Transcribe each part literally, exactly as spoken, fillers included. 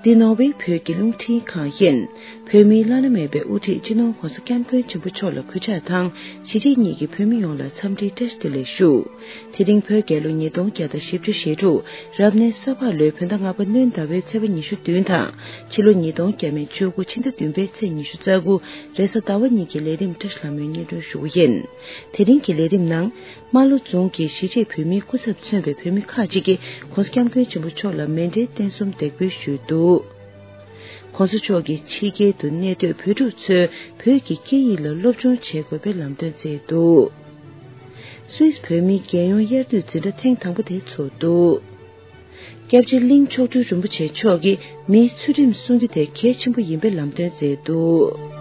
འདི་ནོར་ཝེ་བོད་ཀྱི་རླུང་འཕྲིན་ཁང་ཡིན། བོད་མིའི་བླ་ན་མེད་པའི་དབུ་ཁྲིད་སྤྱི་ནོར་༧གོང་ས་༧སྐྱབས་མགོན་ཆེན་པོ་མཆོག་ལ་གུས་ཕྱག་དང་། གཞིས་བྱེས་གཉིས་ཀྱི་བོད་མི་ཡོངས་ལ་འཚམས་འདྲིའི་བཀྲ་ཤིས་བདེ་ལེགས་ཞུ། དེ་རིང་བོད་རྒྱལ་ལོ་ཉིས་སྟོང་བརྒྱ་དང་བཞི་བཅུ་ཞེ་དྲུག་རབ་གནས་ས་ཕག་ལོའི་བོད་ཟླ་ལྔ་པ་སྣྲོན་ཟླ་བའི་ཚེས་པ་ཉི་ཤུ་བདུན་དང་། ཕྱི་ལོ་ཉིས་སྟོང་བརྒྱ་མེད་བཅུ་དགུ་ཕྱི་ཟླ་བདུན་པའི་ཚེས་ཉི་ཤུ་རྩ་དགུ་རེས་གཟའ་ཟླ་བ་གཉིས་ཀྱི་ལས་རིམ་བཀྲ་ཤིས་ལྷ་མོས་སྙན་སྒྲོན་ཞུ་རྒྱུ་ཡིན། དེ་རིང་གི་ལས་རིམ་ནང་། རྨ་ལྷོ་རྫོང་གི་གཞིས་བྱེས་བོད་མིའི་སྐུ་ཚབ་མཚོན་པའི་བོད་མི་ཁག་ཅིག་གིས་༧གོང་ས་༧སྐྱབས་མགོན་ཆེན་པོ་མཆོག་ལ་མཎྜལ་རྟེན་གསུམ་འདེགས་འབུལ་ཞུས་འདུག ༸གོང་ས་མཆོག་གིས་ཕྱི་རྒྱལ་དུ་གནས་སྡོད་བོད་ཕྲུག་ཚོས་བོད་ཀྱི་སྐད་ཡིག་ལ་སློབ་སྦྱོང་བྱེད་དགོས་པའི་ལམ་སྟོན་བསྩལ་འདུག་སུད་སི་བོད་མིའི་རྒྱལ་ཡོངས་དབྱར་དུས་འཛིན་གྲྭ་ཐེངས་དང་པོ་དེ་ཚོགས་འདུག་སྐྱབས་རྗེ་གླིང་མཆོག་སྤྲུལ་རིན་པོ་ཆེ་མཆོག་གིས་མིའི་ཚུལ་ཁྲིམས་སྲུང་རྒྱུ་དེ་གལ་ཆེན་པོ་ཡིན་པའི་ལམ་སྟོན་མཛད་འདུག་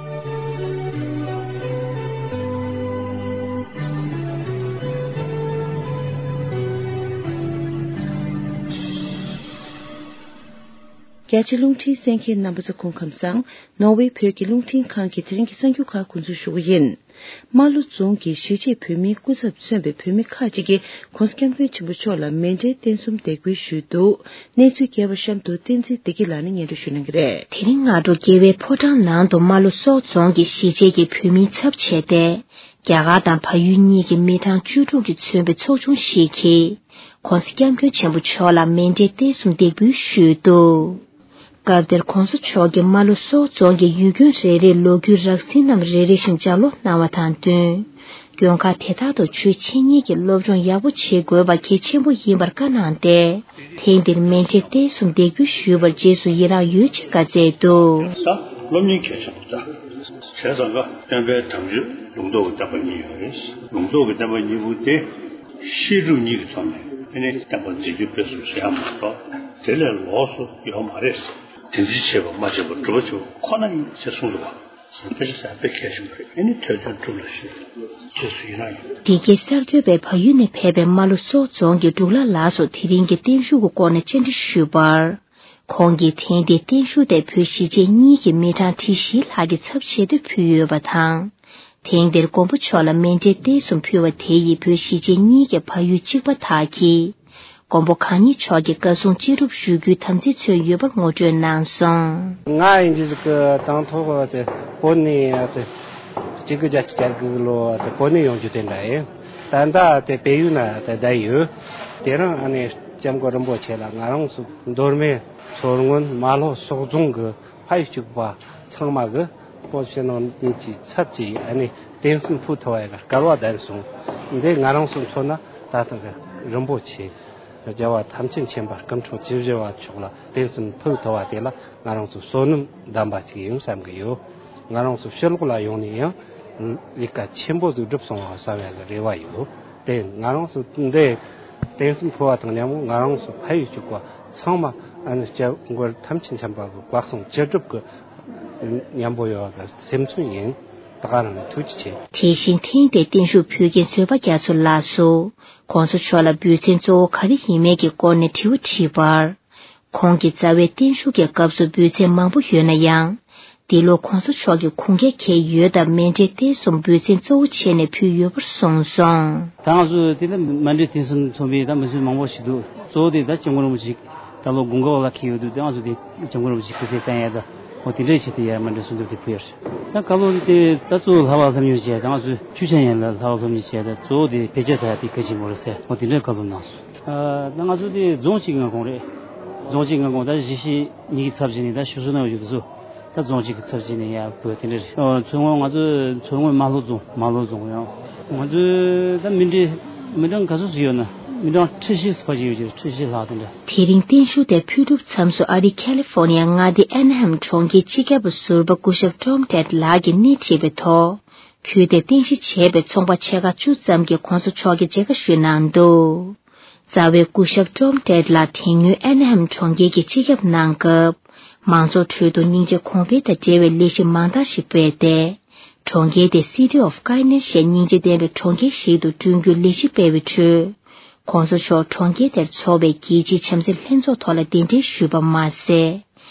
རྒྱ་ཆེ་རླུང་འཕྲིན་གསན་མཁན་རྣམ་པ་ཚོ་སྐུ་ཁམས་བཟང་། ནོར་ཝེ་བོད་ཀྱི་རླུང་འཕྲིན་ཁང་གི་དེ་རིང་གི་གསར་འགྱུར་ཁག་འགོ་འཛུགས་ཞུ་གི་ཡིན། རྨ་ལྷོ་རྫོང་གི་གཞིས་བྱེས་བོད་མིའི་སྐུ་ཚབ་མཚོན་པའི་བོད་མི་ཁག་ཅིག་གིས་༸གོང་ས་༸སྐྱབས་མགོན་ཆེན་པོ་མཆོག་ལ་མཎྜལ་རྟེན་གསུམ་འདེགས་འབུལ་ཞུས་འདུག་གནས་ཚུལ་རྒྱས་པར་གཤམ་དུ་བསྟན་འཛིན་བདེ་སྐྱིད་ལགས་ནས་སྙན་སྒྲོན་ཞུ་གནང་གི་རེད། དེ་རིང་སྔ་དྲོ་རྒྱལ་བའི་ཕོ་བྲང་ནང་དུ་རྨ་ལྷོ་སོག་རྫོང་གི་གཞིས་བྱེས་ཀྱི་བོད་མིའི་ཚབ་བྱས་ཏེ། རྒྱ་གར་དང་བལ་ཡུལ་གཉིས་ཀྱི་མི་གྲངས་བཅུ་དྲུག་གིས་མཚོན་པའི་ཚོགས་ཆུང་ཞིག་གིས། ༸གོང་ས་༸སྐྱབས་མགོན་ཆེན་པོ་མཆོག་ལ་མཎྜལ་རྟེན་གསུམ་འདེགས་འབུལ་ཞུས་འདུག་སྐབས་དེར་༸གོང་ས་མཆོག་གིས་རྨ་ལྷོ་སོག་རྫོང་གི་ཡུལ་དགོན་རེ་རེའི་ལོ་རྒྱུས་རགས་ཟིན་རྣམས་རེ་རེ་བཞིན་ལྗགས་ཀློག་གནང་བ་དང་བསྟུན། དགོན་ཁག་དེ་དག་ཏུ་ཆོས་འཆད་ཉན་གྱི་སློབ་སྦྱོང་ཡག་པོ་བྱེད་དགོས་པ་གལ་ཆེན་པོ་ཡིན་པར་བཀའ་གནང་སྟེ། ཐེངས་འདིར་མཎྜལ་རྟེན་གསུམ་འདེགས་འབུལ་ཞུས་པར་རྗེས་སུ་ཡི་རངས་ཡོད་ཅེས་བཀའ་སྩལ་འདུག་ད་སློབ་གཉེར་གལ་ཆེན་པོ་ད། བྱས་ཙང་ཀ་སྟོན་པའི་དམ་ཆོས་ལུང་རྟོགས་ཀྱི་བསྟན་པ་གཉིས་ཡོད་རེད། ལུང་རྟོགས་ཀྱི་བསྟན་པ་གཉིས་པོ་དེ་བཤད་སྒྲུབ་གཉིས་ཀྱི་ཐོག་ནས་ཨ་ནི་བསྟན་པ་འཛིན་སྐྱོང་སྤེལ་གསུམ་བྱེད་ཡ་མ་གཏོགས་དེ་ལས་ལོགས་སུ་ཡོད་མ་རེད། དེ་འཛིན་བྱེད་པ་མ་བྱེད་པ་སྒྲུབ་པ་བྱེད་པ་ཁོ་ན་ཡིན་ཞེས་གསུངས་འདུག་བ། དཔེ་ཆ་དཔེ་གལ་ཆེན་པོ་རེད། ཨ་ནི་ཐོས་དོན་སྒྲུབ་ལ་ཞུ། རྗེས་སུ་ཡི་རངས་ཡོད། འདི་གའི་གསར་འགོད་པས་བལ་ཡུལ་ནས་ཕེབས་པའི་རྨ་ལྷོ་སོག་རྫོང་གི་འབྲུག་ལྷ་ལགས་སུ་དེ་རིང་གི་བརྟན་བཞུགས་ཀྱི་སྐོར་ནས་བཅར་འདྲི་ཞུས་པར། ཁོང་གིས་ཐེངས་འདིའི་བརྟན་བཞུགས་དེ་བོད་གཞིས་བྱེས་གཉིས་ཀྱི་མི་གྲངས་ཁྲི་བཞི་ལྷག་གི་ཚབ་བྱས་ཏེ་ཕུལ་ཡོད་པ་དང་། ཐེངས་འདིར་མགོན་པོ་མཆོག་ལ་མཎྜལ་རྟེན་གསུམ་ཕུལ་བ་དེ་ཡིས་བོད་གཞིས་བྱེས་གཉིས་ཀྱི་བལ་ཡུལ་གཅིག་པ་དག་གིས། མགོན་པོ་གང་ཉིད་མཆོག་གི་བཀའ་གསུང་ཅི་སྒྲུབ་ཞུ་རྒྱུའི་དམ་ཚིག་མཚོན་ཡོད་པར་ངོ་སྤྲོད་གནང་སོང་། ང་ཡིན་གྱི་ཟིག་གི་དང་ཐོག་དེ་བོད་ནས་དེ་གཅིག་དགུ་བརྒྱད་ཅུ་གྱ་དགུ་ལོ་དེ་བོད་ནས་ཡོང་རྒྱུ་དེ་འདྲ་ཡིན། ད་ལྟ་དེ་བལ་ཡུལ་ན་དེ་བསྡད་ཡོད། དེ་རིང་ཨ་ནེ་སྐྱབས་མགོན་རིན་པོ་ཆེ་ལ་ང་རང་ཚོ་མདོ་སྨད་མཚོ་སྔོན་རྨ་ལྷོ་སོག་རྫོང་གི་ཕ་ཡུལ་གཅིག་པ་ཚང་མ་གི་སྤོ་ཕྱི་ནང་གཉིས་ཀྱི་ཚབ་ཀྱིས་ཨ་ནེ་རྟེན་གསུམ་ཕུལ་ཐུབ་པའི་སྐལ་བ་ལྡན་སོང་། འདི་ང་རང་ཚོ་མཚོན་ན་ད་ལྟ་གི་རིན་པོ་ཆེ་རྒྱལ་བ་ཐམས་ཅད་མཁྱེན་པ་སྐུ་འཕྲེང་བཅུ་བཞི་པ་མཆོག་ལ་རྟེན་གསུམ་ཕུལ་ཐུབ་པ་དེ་ལ་ང་རང་ཚོ་བསོད་ནམས་ལྡན་པ་ཅིག་ཡིན་བསམ་གི་ཡོད། ང་རང་ཚོ་ཕྱི་ལོགས་ལ་ཡོང་ནས་ཡང་ལས་ཀ་ཆེན་པོ་ཟིག་བསྒྲུབས་སོང་བ་བསམ་ཡག་གི་རེ་བ་ཡོད། དེ་ང་རང་ཚོ་འདི་རྟེན་གསུམ་ཕུལ་བ་དང་མཉམ་པོ་ང་རང་ཚོ་ཕ་ཡུལ་གཅིག་པ་ཚང་མ་ཨ་ནི་སྐྱབས་མགོན་ཐམས་ཅད་མཁྱེན་པ་གི་བཀའ་གསུང་ཅི་སྒྲུབ་ཀྱི་མཉམ་པོ་ཡོད་པ་གི་སེམས་མཚོན་ཡིན། ད་ག་རང་ཐུགས་རྗེ་ཆེ། དེ་བཞིན་ཐེངས་འདིའི་བརྟན་བཞུགས་ཕུལ་མཁན་བཟོད་པ་རྒྱ་མཚོ་ལགས་སུ་༸གོང་ས་མཆོག་ལ་འབུལ་ཚན་གཙོ་བོ་ག་རེ་ཡིན་མིན་གྱི་སྐོར་ནས་དྲི་བ་དྲིས་པར། ཁོང་གིས་རྩ་བའི་བརྟན་བཞུགས་ཀྱི་སྐབས་སུ་འབུལ་ཚན་མང་པོ་ཡོད་ན་ཡང་། འདི་ལོ་༸གོང་ས་མཆོག་གིས་ཁུངས་སྐྱེལ་མཁན་ཡོད་སྟབས་མཎྜལ་རྟེན་གསུམ་འབུལ་ཚན་གཙོ་བོ་བྱས་ནས་ཕུལ་ཡོད་པར་གསུངས་སོང་། ད་ང་ཚོ་དེ་ལ་མཎྜལ་རྟེན་གསུམ་མཚོན་པའི་ད་མི་ཚོད་མང་པོ་ཞིག་འདུག་གཙོ་བོ་དེ་ད་སྐྱབས་མགོན་རིན་པོ་ཆེ་ད་ལོ་དགུང་གྲངས་ལ་འཁེལ་ཡོད་འདུག་དེ་ང་ཚོ་དེ་སྐྱབས་མགོན་རིན་པོ་ཆེ་སྐུ་ཚེ་བརྟན་ཡག་ད་འོ་དེ་འདྲའི་ཆེད་དུ་ཡར་མཎྜལ་གསུམ་འབུལ་དེ་ཕུལ་ཡོད་རེད། ད་ཀ་ལོ་དེ་ད་གཙོ་བོ་ལྷ་བབས་ལྷ་མོ་སློབ་གཉེར་བྱས་ད་ང་ཚོ་ཆོས་འཆད་ཉན་ལ་ལྷ་བབས་སློབ་གཉེར་བྱས་ད་གཙོ་བོ་དེ་བེད་སྤྱོད་ད་ཡག་དེ་གལ་ཆེན་པོ་རེད་ཟེར་འོ་དེ་འདྲའི་ཀ་ལོ་གནང་སོང་། ཨ་ད་ང་ཚོ་དེ་རྫོང་གཅིག་མངའ་ཁོངས་རེད། རྫོང་གཅིག་མངའ་ཁོངས་ད་གཞིས་བྱེས་གཉིས་ཀྱི་ཚབ་བྱས་ནས་ད་ཞུ་གསོལ་གནང་ཡོད་དུས་སུ་ད་རྫོང་གཅིག་གི་ཚབ་བྱས་ནས་ཡར་འབུལ་དེ་འདྲ་རེད། ཨོ་མཚོ་སྔོན་ང་ཚོ་མཚོ་སྔོན་རྨ་ལྷོ་རྫོང་རྨ་ལྷོ་རྫོང་ཡང་ང་ཚོ་ད་མི་འདྲེ་མི་གྲངས་ག་ཚོད་ཞིག་ཡོད་ན་མི་གྲངས་ཁྲི་བཞི་ཙམ་ཞིག་ཡོད་ཀྱི་རེད། ཁྲི་བཞི་ལྷག་དེ་འདྲ། དེ་རིང་བརྟན་བཞུགས་དེ་ཕུལ་གྲུབ་མཚམས་སུ་ཨ་རིའི་ཁ་ལི་ཧྥོ་ནི་ཡ་མངའ་སྡེའི་ཨན་ཧེམ་གྲོང་ཁྱེར་སྤྱི་ཁྱབ་པ་ཟུར་པ་སྐུ་ཞབས་ཀྲོམ་ཏེད་ལགས་ཀྱིས་སྣེ་ཁྲིད་པའི་ཐོག་ཁུལ་དེར་རྟེན་གཞི་བྱས་པའི་ཚོང་པ་ཆེ་ཁག་བཅུ་ཙམ་གྱིས་༸གོང་ས་མཆོག་གི་མཇལ་ཁ་ཞུས་གནང་འདུག་རྩ་བའི་སྐུ་ཞབས་ཀྲོམ་ཏེད་ལགས་དེ་སྔོན་ཨན་ཧེམ་གྲོང་ཁྱེར་གྱི་སྤྱི་ཁྱབ་གནང་སྐབས། མང་ཚོགས་ཁྲོད་དུ་སྙིང་རྗེ་གོང་འཕེལ་དང་འབྲེལ་བའི་ལས་གཞི་མང་དག་ཞིག་སྤེལ་ཏེ། གྲོང་ཁྱེར་དེ་City of Kindness ཞེས་སྙིང་རྗེ་ལྡན་པའི་གྲོང་ཁྱེར་ཞིག་ཏུ་བསྐྲུན་རྒྱུའི་ལས་གཞི་སྤེལ་བའི་ཁྲོད། ༸གོང་ས་མཆོག་གྲོང་ཁྱེར་དེར་འཚོགས་པའི་རྒྱལ་སྤྱིའི་བྱམས་བརྩེ་ལྷན་ཚོགས་ཐོག་ལ་གདན་འདྲེན་ཞུས་པ་མ་ཟད།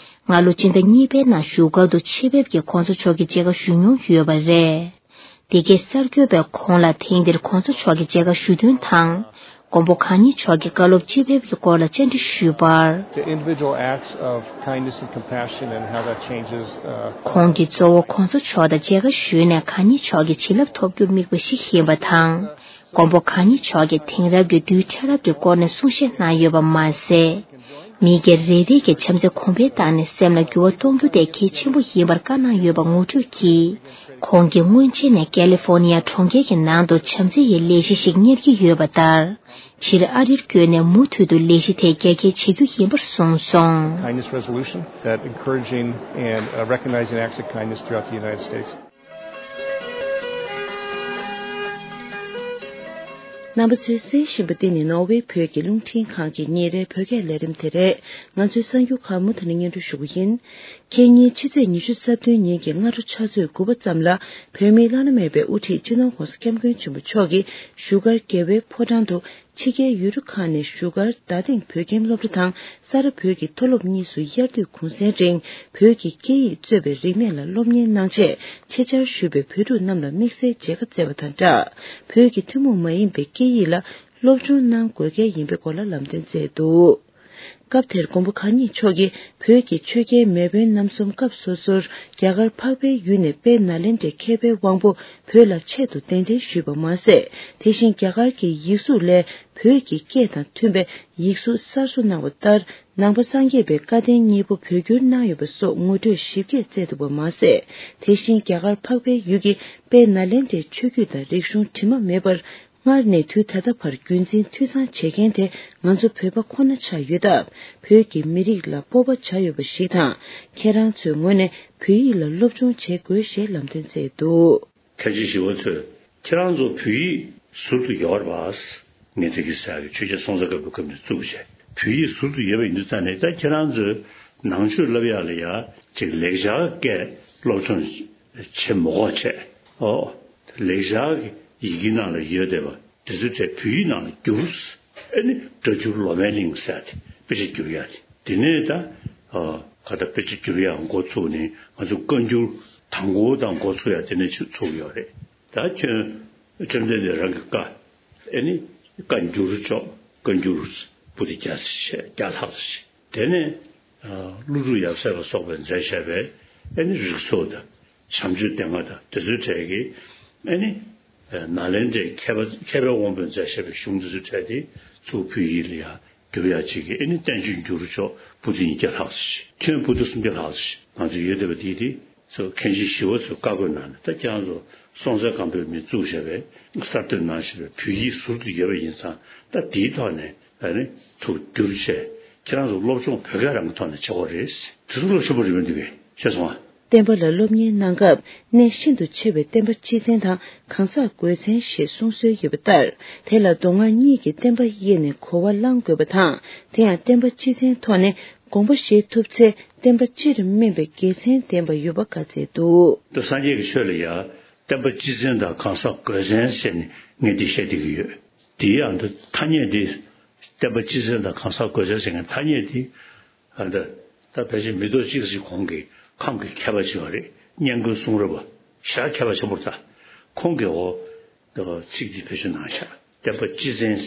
སྔ་ལོ་སྤྱི་ཟླ་གཉིས་པའི་ནང་བཞུགས་སྒར་དུ་ཆེད་ཕེབས་ཀྱིས་༸གོང་ས་མཆོག་གི་མཇལ་ཁ་ཞུ་མྱོང་ཡོད་པ་རེད། འདི་གའི་གསར་འགོད་པས་ཁོང་ལ་ཐེངས་འདིར་༸གོང་ས་མཆོག་གི་མཇལ་ཁ་ཞུ་དོན་དང་། མགོན་པོ་གང་ཉིད་མཆོག་གིས་བཀའ་སློབ་ཅི་ཕེབས་ཀྱི་སྐོར་ལ་བཅར་འདྲི་ཞུས་པར། The individual acts of kindness and compassion and how that changes, uh, ཁོང་གིས་གཙོ་བོ་གོང་ས་མཆོག་དང་མཇལ་ཁ་ཞུས་ནས་གང་ཉིད་མཆོག་གི་བྱིན་རླབས་ཐོབ་རྒྱུར་དམིགས་པ་ཞིག་ཡིན་པ་དང་། མགོན་པོ་གང་ཉིད་མཆོག་གིས་དེང་རབས་ཀྱི་རྡུལ་ཕྲ་རབ་ཀྱི་སྐོར་ནས་གསུང་བཤད་གནང་ཡོད་པ་མ་ཟད། མི་སྒེར་རེ་རེ་གི་བྱམས་བརྩེ་གོང་འཕེལ་བཏང་ནས་སེམས་ལ་འགྱུར་བ་གཏོང་རྒྱུ་དེ་གལ་ཆེན་པོ་ཡིན་པར་བཀའ་གནང་ཡོད་པ་ངོ་སྤྲོད་ཀྱིས། ཁོང་གིས་སྔོན་ཆད་ནས་ཀལི་ཧྥོར་ནི་ཡ་གྲོང་ཁྱེར་གྱི་ནང་དུ་བྱམས་བརྩེ་ཡི་ལས་གཞི་ཞིག་གཉེར་གྱི་ཡོད་པ་ལྟར། ཕྱིར་ཨ་རིར་བསྐྱོད་ནས་མུ་མཐུད་དུ་ལས་གཞི་དེ་རྒྱ་སྐྱེད་བྱེད་རྒྱུ་ཡིན་པར་གསུངས་སོང་། Kindness resolution that encouraging and, uh, recognizing acts of kindness throughout the United States. རྣམ་པ་ཚོས་གསན་བཞིན་པ་འདི་ནི་ནོར་ཝེ་བོད་ཀྱི་རླུང་འཕྲིན་ཁང་གི་ཉིན་རེའི་བོད་སྐད་ལས་རིམ་དེ་རེད། ང་ཚོའི་གསར་འགྱུར་ཁག་མུ་མཐུད་ནས་སྙན་སྒྲོན་ཞུ་གི་ཡིན། ཁེ་ཉིན་ཕྱི་ཚེས་ཉི་ཤུ་རྩ་བདུན་ཉིན་གྱི་སྔ་དྲོ་ཕྱག་ཚོད་དགུ་པ་ཙམ་ལ་བོད་མིའི་བླ་ན་མེད་པའི་དབུ་ཁྲིད་སྤྱི་ནོར་༸གོང་ས་༸སྐྱབས་མགོན་ཆེན་པོ་མཆོག་གིས་བཞུགས་སྒར་རྒྱལ་བའི་ཕོ་བྲང་དུ། ཕྱི་རྒྱལ་ཡུལ་གྲུ་ཁག་ནས་བཞུགས་སྒར་རྡ་སྟེང་བོད་ཁྱིམ་སློབ་གྲྭ་དང་ས་རཱ་བོད་ཀྱི་མཐོ་སློབ་གཉིས་སུ་དབྱར་དུས་གུང་སེང་རིང་བོད་ཀྱི་སྐད་ཡིག་གཙོས་པའི་རིག་གནས་ལ་སློབ་གཉེར་གནང་ཆེད་ཆེད་བཅར་ཞུས་པའི་བོད་ཕྲུག་རྣམས་ལ་དམིགས་བསལ་མཇལ་ཁ་བསྩལ་བ་དང་སྦྲགས། བོད་ཀྱི་ཐུན་མོང་མ་ཡིན་པའི་སྐད་ཡིག་ལ་སློབ་སྦྱོང་གནང་དགོས་གལ་ཡིན་པའི་སྐོར་ལ་ལམ་སྟོན་བསྩལ་འདུག་སྐབས་དེར་མགོན་པོ་གང་ཉིད་མཆོག་གིས་བོད་ཀྱི་ཆོས་རྒྱལ་མེས་དབོན་རྣམ་གསུམ་སྐབས་སོ་སོར་རྒྱ་གར་འཕགས་པའི་ཡུལ་ནས་དཔལ་ནཱ་ལེནྡྲའི་མཁས་པའི་དབང་པོ་བོད་ལ་ཆེད་དུ་གདན་འདྲེན་ཞུས་པ་མ་ཟད། དེ་བཞིན་རྒྱ་གར་གྱི་ཡིག་གཟུགས་ལས་བོད་ཀྱི་སྐད་དང་མཐུན་པའི་ཡིག་གཟུགས་གསར་བཟོ་གནང་བ་ལྟར། ནང་པ་སངས་རྒྱས་པའི་བཀའ་བསྟན་གཉིས་པོ་བོད་བསྒྱུར་གནང་ཡོད་པ་སོགས་ངོ་སྤྲོད་ཞིབ་རྒྱས་བསྩལ་འདུག་པ་མ་ཟད། དེ་བཞིན་རྒྱ་གར་འཕགས་པའི་ཡུལ་གྱི་དཔལ་ནཱ་ལེནྡྲའི་ཆོས་བརྒྱུད་དང་རིག་གཞུང་དྲི་མ་མེད་པར། སྔར་ནས་དུས་ད་ལྟ་བར་རྒྱུན་འཛིན་འཐུས་ཚང་བྱེད་མཁན་དེ་ང་ཚོ་བོད་པ་ཁོ་ན་ཆགས་ཡོད་སྟབས། བོད་ཀྱི་མི་རིགས་ལ་སྤོབས་པ་བྱ་འོས་པ་ཞིག་དང་། ཁྱེད་རང་ཚོའི་ངོས་ནས་བོད་ཡིག་ལ་སློབ་སྦྱོང་བྱེད་དགོས་ཞེས་ལམ་སྟོན་བསྩལ་འདུག་མཁན་ཆེན་ཞི་བ་འཚོས་ཁྱེད་རང་ཚོ་བོད་ཡིག་ཟུར་དུ་ཡོད་རེད་པ། ངས་དེ་གི་ཟེར་ཡག་གི་ཆོས་རྒྱལ་སྲོང་བཙན་སྒམ་པོའི་སྐབས་ནས་བཙུགས་བྱས་བོད་ཡིག་ཟུར་དུ་ཡོད་པ་ཡིན་དུས་ཙང་ནས། ད་ཁྱེད་རང་ཚོས་ནང་ཆོས་བསླབ་ཡག་ལ་ཡ་ཅིག་ལེགས་སྦྱར་སྐད་སློབ་སྦྱོང་བྱེད་མ་དགོས་བྱས། ཨོ། ལེགས་སྦྱར་གྱི་ཡི་གེ་ནང་ལ་ཡོད་བསྡད་པ་དེ་ཚོའི་གྲས་བོད་ཡིག་ནང་ལ་བསྒྱུར། ཨ་ནི་སྒྲ་བསྒྱུར་ལོ་མའི་གླིང་ཟེར་ཡག་དེ་དཔེ་ཆ་བསྒྱུར་ཡག་དེ། དེ་ནས་ད་ཨ་ག་ད་དཔེ་ཆ་བསྒྱུར་ཡག་འགོ་ཚུགས་ནས་ང་ཚོ་བཀའ་འགྱུར་དང་པོ་དང་འགོ་ཚུགས་ཡག་དེ་ནས་ཚུགས་ཡོད་རེད། ད་ཁྱོད་བཅོམ་ལྡན་འདས་རང་གི་བཀའ། ཨེ་ནི་བཀའ་འགྱུར་ཅོག་བཀའ་འགྱུར་པོ་ཏི་བརྒྱ་ཙམ་བཤད། བརྒྱ་ལྷག་ཙམ་བཤད། དེ་ནས་ཨ་ཀླུ་སྒྲུབ་ཡབ་སྲས་ལ་སོགས་པས་མཛད་བཞག་པའི་ཨེ་ནི་རིགས་ཚོགས་དང་བྱམས་ཆོས་སྡེ་ལྔ་དང་དེ་ཚོའི་གྲས་ཀྱི་ཨེ་ནི་ཨ་ནཱ་ལེནྡྲའི་མཁས་པ་མཁས་པའི་དབང་པོས་མཛད་བཞག་པའི་གཞུང་དེ་ཚོའི་གྲས་དེ་ཚུར་བོད་ཡིག་ལ་ཡང་བསྒྱུར་ཡག་ཅིག་གི་ཨེ་ནི་བསྟན་བཅོས་འགྱུར་ཅོག་པོ་ཏི་ཉིས་བརྒྱ་ལྷག་ཙམ་ཞིག་ཁྱོན་པོ་ཏི་སུམ་བརྒྱ་ལྷག་ཙམ་ཞིག་ང་ཚོ་ཡོད་བསྡད་པ་དེ་དེ་ཚོ་མཁན་ཆེན་ཞི་བ་འཚོས་བཀའ་བསྒོ་གནང་ནས། ད་ཁྱེད་རང་ཚོ་སྲོང་བཙན་སྒམ་པོས་མི་བཙུགས་བཞག་པའི་གསར་གཏོད་གནང་བཞག་པའི་བོད་ཡིག་ཟུར་དུ་ཡོད་པ་ཡིན་ཙང་། ད་དེའི་ཐོག་ནས་ཨ་ནི་ཚུར་བསྒྱུར་བྱས་ཁྱེད་རང་ཚོ་སློབ་སྦྱོང་བོད་སྐད་རང་གི་ཐོག་ནས་བྱེད་དགོས་རེད། དེ་ཚོ་བློ་ཆེན་པོ་རེད་པ་འདུག་གས། ཤེས་སོང་ཨ། བསྟན་པ་ལ་སློབ་གཉེར་གནང་སྐབས་གནད་ཤིན་ཏུ་ཆེ་བའི་བསྟན་པ་སྤྱི་བཙན་དང་གང་ཟག་དགོས་བཙན་ཞེས་གསུང་སྲོལ་ཡོད་པ་ལྟར། དེ་ལ་མདོ་སྔགས་གཉིས་ཀྱི་བསྟན་པ་དབྱེ་ནས་གོ་བ་བླང་དགོས་པ་དང་། དེ་ཡང་བསྟན་པ་སྤྱི་བཙན་ཐོག་ནས་དགོངས་པ་བཞེས་ཐུབ་ཚེ་བསྟན་པ་སྤྱིར་སྨིན་པའི་དགེ་མཚན་ལྡན་པ་ཡོད་པ་བཀའ་སྩལ་འདུག་ད་སངས་རྒྱས་ཀྱི་ཆོས་ལ་ཡང་བསྟན་པ་སྤྱི་བཙན་དང་གང་ཟག་དགོས་བཙན་ཟེར་ནས་ངས་འདི་བཤད་བསྡད་ཀྱི་ཡོད། དེའི་ཨ་ད་ཐ་སྙད་འདི། བསྟན་པ་སྤྱི་བཙན་དང་གང་ཟག་དགོས་བཙན་ཟེར་མཁན་ཐ་སྙད་འདི། ཨ་ད་ད་ཕལ་ཆེར་མི་ཐོག་གཅིག་ཅིག་གོང་གི་ཁམས་ཀྱི་མཁས་པ་ཅིག་ཡོད་རེད། སྙན་ཁོལ་གསུང་རབ་པ་ཞེ་དྲག་མཁས་པ་ཆེན་པོ་རེད་ད། ཁོང་གིས་འོ་ད་ཚིག་འདི་བེད་སྤྱོད་གནང་ཤག་བསྟན་པ་སྤྱི་བཙན་ཟེར།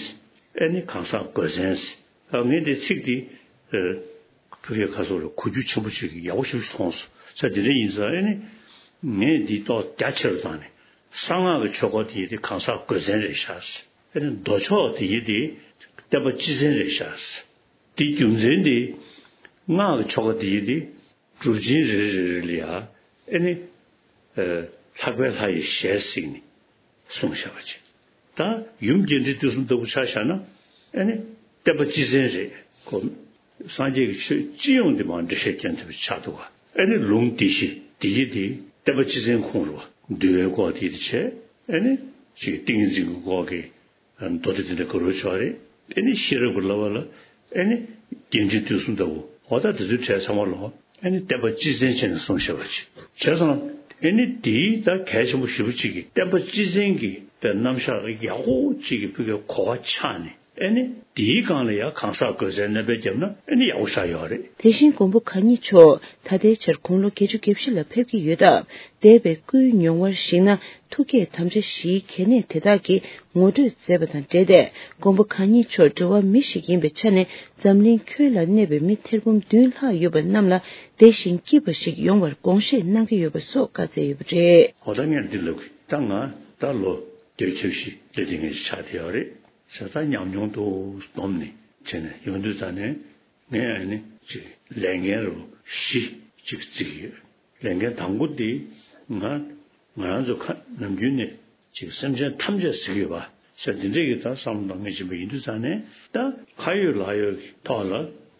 ཨ་ནི་གང་ཟག་དགོས་བཙན་ཟེར། ཨ་ངས་འདི་ཚིག་འདི། ཨ། བོད་སྐད་ཁ་སོག་ལ་གོ་རྒྱུ་ཆེན་པོ་ཅིག་ཡག་པོ་ཞེ་པོ་ཅིག་མཐོང་སོང་། ས་དེ་འདྲ་ཡིན་ཙང་ཨ་ནི། ངས་འདི་ཏོག་རྒྱ་ཆེ་རུ་བཏང་ནས། གསང་སྔགས་ཀྱི་ཆོས་སྐོར་དེ་ཡི་དེ་གང་ཟག་དགོས་བཙན་རེད་ཤག་ཨ་ནི་མདོ་ཕྱོགས་དེ་ཡི་དེ་བསྟན་པ་སྤྱི་བཙན་རེད་ཤག་དེ་རྒྱུ་མཚན་དེ། སྔགས་ཀྱི་ཆོ་ག་དེ་ཡི་དེ། སྒྲུབ་ཆེན་རེ་རེ་རེ་ལ་ཡ། ཨ་ནི། ཨ། ལྷག་པའི་ལྷ་ཡི་ཞལ་གཟིགས་ནས། གསུངས་བཞག་པ་ཅིག་ད་ཡུམ་རྒྱས་འབྲིང་བསྡུས་གསུམ་ལྟ་བུ་ཆ་བཞག་ན། ཨ་ནི་བསྟན་པ་སྤྱི་བཙན་རེད་ཁོ། སངས་རྒྱས་ཀྱི་ཆོས་སྤྱི་ཡོངས་འདི་མར་འགྲེལ་བཤད་སྐྱོན་ཐེབས་པ་ཆགས་འདུག་ག་ཨ་ནི་ལུང་འདི་བཞི་འདི་ཡི་འདི་བསྟན་པ་སྤྱི་བཙན་ཁོངས་རུ་བ། འདུལ་བའི་སྐོར་དེ་ཡི་དེ་བྱས། ཨ་ནི་ཅིག་ཏིང་ངེ་འཛིན་གྱི་སྐོར་གྱི་མདོ་སྡེ་དེ་འདྲ་ག་རུ་ཆགས་རེད། ཨ་ནི་ཤེས་རབ་ཀྱི་བསླབ་པ་ལ། ཨ་ནི་རྒྱས་འབྲིང་བསྡུས་གསུམ་ལྟ་བུ་འོ་ད་དེ་ཚོའི་གྲས་ཚང་མ་ལ། ཨ་ནི་བསྟན་པ་སྤྱི་བཙན་བྱས་ནས་གསུངས་བཞག་པ་ཅིག་བྱས་ཙང་། ཨ་ནི་དེའི་ད་གལ་ཆེན་པོ་ཞེ་པོ་ཅིག་གི་བསྟན་པ་སྤྱི་བཙན་གྱི་པའི་རྣམ་གཞག་ཡག་པོ་ཅིག་གི་བོད་སྐད་གོ་བ་ཆགས་ནས། ཨེ་ནི་དེའི་སྒང་ལ་ཡང་གང་ཟག་དགོས་ཚད་སྣོན་པ་བརྒྱབ་ན་ཨེ་ནི་ཡག་པོ་ཆགས་ཡོད་རེད། དེ་བཞིན་མགོན་པོ་གང་ཉིད་མཆོག་ད་ལྟའི་ཆར་དགུང་ལོ་བརྒྱད་ཅུ་གྱ་བཞི་ལ་ཕེབས་ཀྱི་ཡོད་སྟབས། འདས་པའི་སྐུའི་མྱོང་བར་གཞིགས་ན། ཐུགས་བསྐྱེད་དམ་བཅའ་བཞིའི་གལ་གནད་དེ་དག་གི་ངོ་སྤྲོད་མཛད་པ་དང་འབྲེལ་ཏེ། མགོན་པོ་གང་ཉིད་མཆོག་འགྲོ་བ་མི་ཞིག་ཡིན་པའི་ཆ་ནས། འཛམ་གླིང་ཁྱོན་ལ་གནས་པའི་མི་ཐེར་འབུམ་བདུན་ལྷག་ཡོད་པ་རྣམས་ལ་བདེ་ཞིང་སྐྱིད་པ་ཞིག་ཡོང་བར་དགོངས་བཞེས་གནང་གི་ཡོད་པ་སོགས་བཀའ་སྩལ་ཡོད་པ་རེད། འོ་ད་ངས་འདི་ལབ་གི། ད་ང་ད་ལོ་བདུན་ཅུ་བཞི་ལས་དེ་ངས་ཆགས་བསྡད་ཡོད་རེད། ཤ་ཚ་ཉམས་མྱོང་དུ་བསྡོམས་ནས་བྱས་ནས་ཡོང་དུས་ཙང་ནས། ངས་ཨ་ནི་ཅིག་ལས་འགན་རུ་བཞི་ཅིག་བརྩི་གི་ཡོད། ལས་འགན་དང་པོ་དེ་ང་ང་རང་ཚོ་ཁ་ནམ་རྒྱུན་ནས་ཅིག་སེམས་ཅན་ཐམས་ཅད་ཟེར་གི་ཡོད་པ་ཤ་འདི་འདྲས་ཀྱི་ད་བསམ་བློ་གཏོང་མཁན་ཅིག་ཡིན་དུས་ཙང་ནས། ད་ཁ་ཡོད་ལག་ཡོད་ཀྱི་ཐོག་ལ་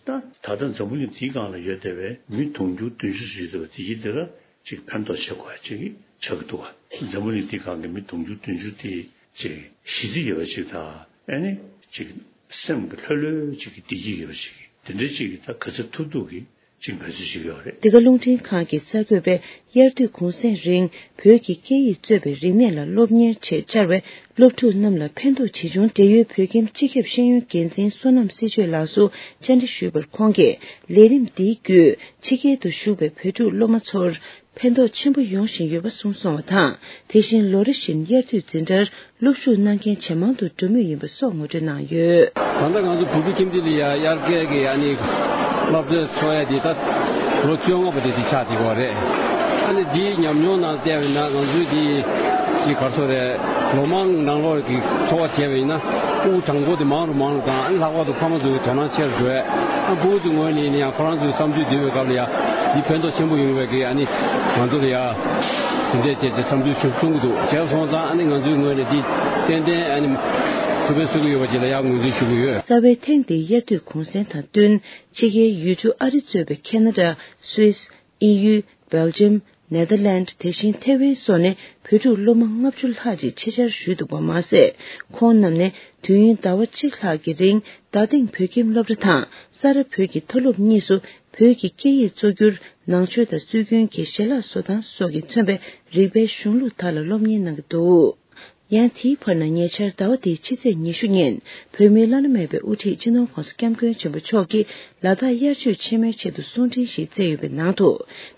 ད་ད་ལྟ་འཛམ་བུ་གླིང་འདིའི་སྒང་ལ་ཡོད་བསྡད་པའི་མི་དུང་ཕྱུར་བདུན་ཅུ་ཙམ་ཡོད་བསྡད་པ་དེ་ཡིན་དེ་ལ་ཅིག་ཕན་ཐོགས་བྱེད་དགོས་ཡ་ཅིག་ཆགས་ཀྱི་འདུག་བ། འཛམ་བུ་གླིང་འདིའི་སྒང་གི་མི་དུང་ཕྱུར་བདུན་ཅུ་དེ་ཅིག་ཞི་བདེ་ཡོད་པ་ཅིག་དང་། ཨ་ནི་ཅིག་སེམས་ཀྱི་ལྷོད་ལྷོད་ཅིག་གི་བདེ་སྐྱིད་ཡོད་པ་ཅིག་དེ་འདྲ་ཅིག་གི་ད་ག་ཚོད་ཐུབ་ཐུབ་ཀྱི་ཅིག་འབད་རྩོལ་ཞིག་ཡོད་རེད། འདི་ག་རླུང་འཕྲིན་ཁང་གི་གསར་འགོད་པས་དབྱར་དུས་གུང་སེང་རིང་བོད་ཀྱི་སྐད་ཡིག་གཙོས་པའི་རིག་གནས་ལ་སློབ་གཉེར་ཆེད་བཅར་བའི་སློབ་ཕྲུག་རྣམས་ལ་ཕན་ཐོགས་ཇི་བྱུང་འབྲེལ་ཡོད་བོད་ཁྱིམ་སྤྱི་ཁྱབ་ཤེས་ཡོན་འགན་འཛིན་བསོད་ནམས་སྲིད་ཆོས་ལགས་སུ་བཅར་འདྲི་ཞུས་པར། ཁོང་གིས་ལས་རིམ་འདིའི་བརྒྱུད་ཕྱི་རྒྱལ་དུ་བཞུགས་པའི་བོད་ཕྲུག་སློབ་མ་ཚོར་ཕན་ཐོགས་ཆེན་པོ་ཡོང་བཞིན་ཡོད་པ་གསུངས་སོང་བ་དང་། དེ་བཞིན་ལོ་རེ་བཞིན་དབྱར་དུས་འཛིན་གྲྭར་སློབ་ཞུགས་གནང་མཁན་ཇེ་མང་དུ་འགྲོ་མུས་ཡིན་པ་སོགས་ངོ་སྤྲོད་གནང་ཡོད། ད་ལྟ་ང་ཚོ་བོད་ཕྲུག་ཁྱིམ་སྡེ་ལ་ཡ་དབྱར་ཁའི་གི་ཨ་ནི་སློབ་གྲྭ་ཚོགས་ཡ་དེ་ད་ལོ་བཅོ་ལྔ་པ་དེ་དེ་ཆགས་བསྡད་ཡོད་རེད། ཨ་ནི་དེའི་ཉམས་མྱོང་ནང་བལྟས་པ་ཡིན་ན་ང་ཚོའི་དེ་ཅིག་ག་རེ་ཟེར་རེད། ལོ་མང་ནང་ལོགས་ཀྱི་ཚོར་བ་བྱས་པ་ཡིན་ན། ཕྲུ་གུ་གྲངས་འབོར་དེ་མང་རུ་མང་རུ་དང་། ཨ་ནི་ལྷག་པར་དུ་ཕ་མ་ཚོའི་དོ་སྣང་ཆེ་རུ་འགྲོ་ཡ། ཨ་ཕྲུ་གུ་ཚོའི་ངོས་ནས་ཡིན་ན་ཡང་ཁོ་རང་ཚོའི་བསམ་ཚུལ་འདོན་པའི་སྐབས་ལ་ཡ་འདི་ཕན་ཐོགས་ཆེན་པོ་ཡོང་བའི་གི་ཨ་ནི་ང་ཚོ་ལ་ཡ་དེ་འདྲས་བྱས་ཏེ་བསམ་ཚུལ་ཞིག་གསུང་གི་འདུག་བྱས་སོང་ཙང་ཨ་ནི་ང་ཚོའི་ངོས་ནས་འདི་ཏན་ཏན་ཨ་ནི་ཐུགས་ཕན་གསོས་ཀྱི་ཡོད་པ་ཅིག་ལ་ཡ་ངོས་འཛིན་ཞུ་གི་ཡོད། རྩ་བའི་ཐེངས་འདིའི་དབྱར་དུས་གུང་སེང་དང་བསྟུན་ཕྱི་རྒྱལ་ཡུལ་གྲུ་ཨ་རི་གཙོས་པའི་ཁེ་ན་ཌ། སུད་སི། དབྱིན་ཡུལ། སྦེལ་ཇམ། ནེ་དར་ལེནྜ། དེ་བཞིན་ཐེ་ཝན་སོགས་ནས་བོད་ཕྲུག་སློབ་མ་ལྔ་བཅུ་ལྷག་ཅིག་ཆེད་བཅར་ཞུས་འདུག་པ་མ་ཟད། ཁོང་རྣམས་ནས་དུས་ཡུན་ཟླ་བ་གཅིག་ལྷག་གི་རིང་རྡ་སྟེང་བོད་ཁྱིམ་སློབ་གྲྭ་དང་ས་རཱ་བོད་ཀྱི་མཐོ་སློབ་གཉིས་སུ་བོད་ཀྱི་སྐད་ཡིག་གཙོ་གྱུར་ནང་ཆོས་དང་སྲོལ་རྒྱུན་གྱི་ཞལ་ལག་བཟོ་སྟངས་སོགས་ཀྱིས་མཚོན་པའི་རིག་པའི་གཞུང་ལུགས་དག་ལ་སློབ་གཉེར་གནང་གི་འདུག་ཡང་དེའི་བར་ན་ཉེ་ཆར་ཟླ་བ་འདིའི་ཕྱི་ཚེས་ཉི་ཤུ་ཉིན་བོད་མིའི་བླ་ན་མེད་པའི་དབུ་ཁྲིད་སྤྱི་ནོར་༸གོང་ས་༸སྐྱབས་མགོན་ཆེན་པོ་མཆོག་གིས་ལ་དྭགས་དབྱར་ཆོས་ཆེན་མོའི་ཆེད་དུ་གསུང་འཕྲིན་ཞིག་བསྩལ་ཡོད་པའི་ནང་དུ།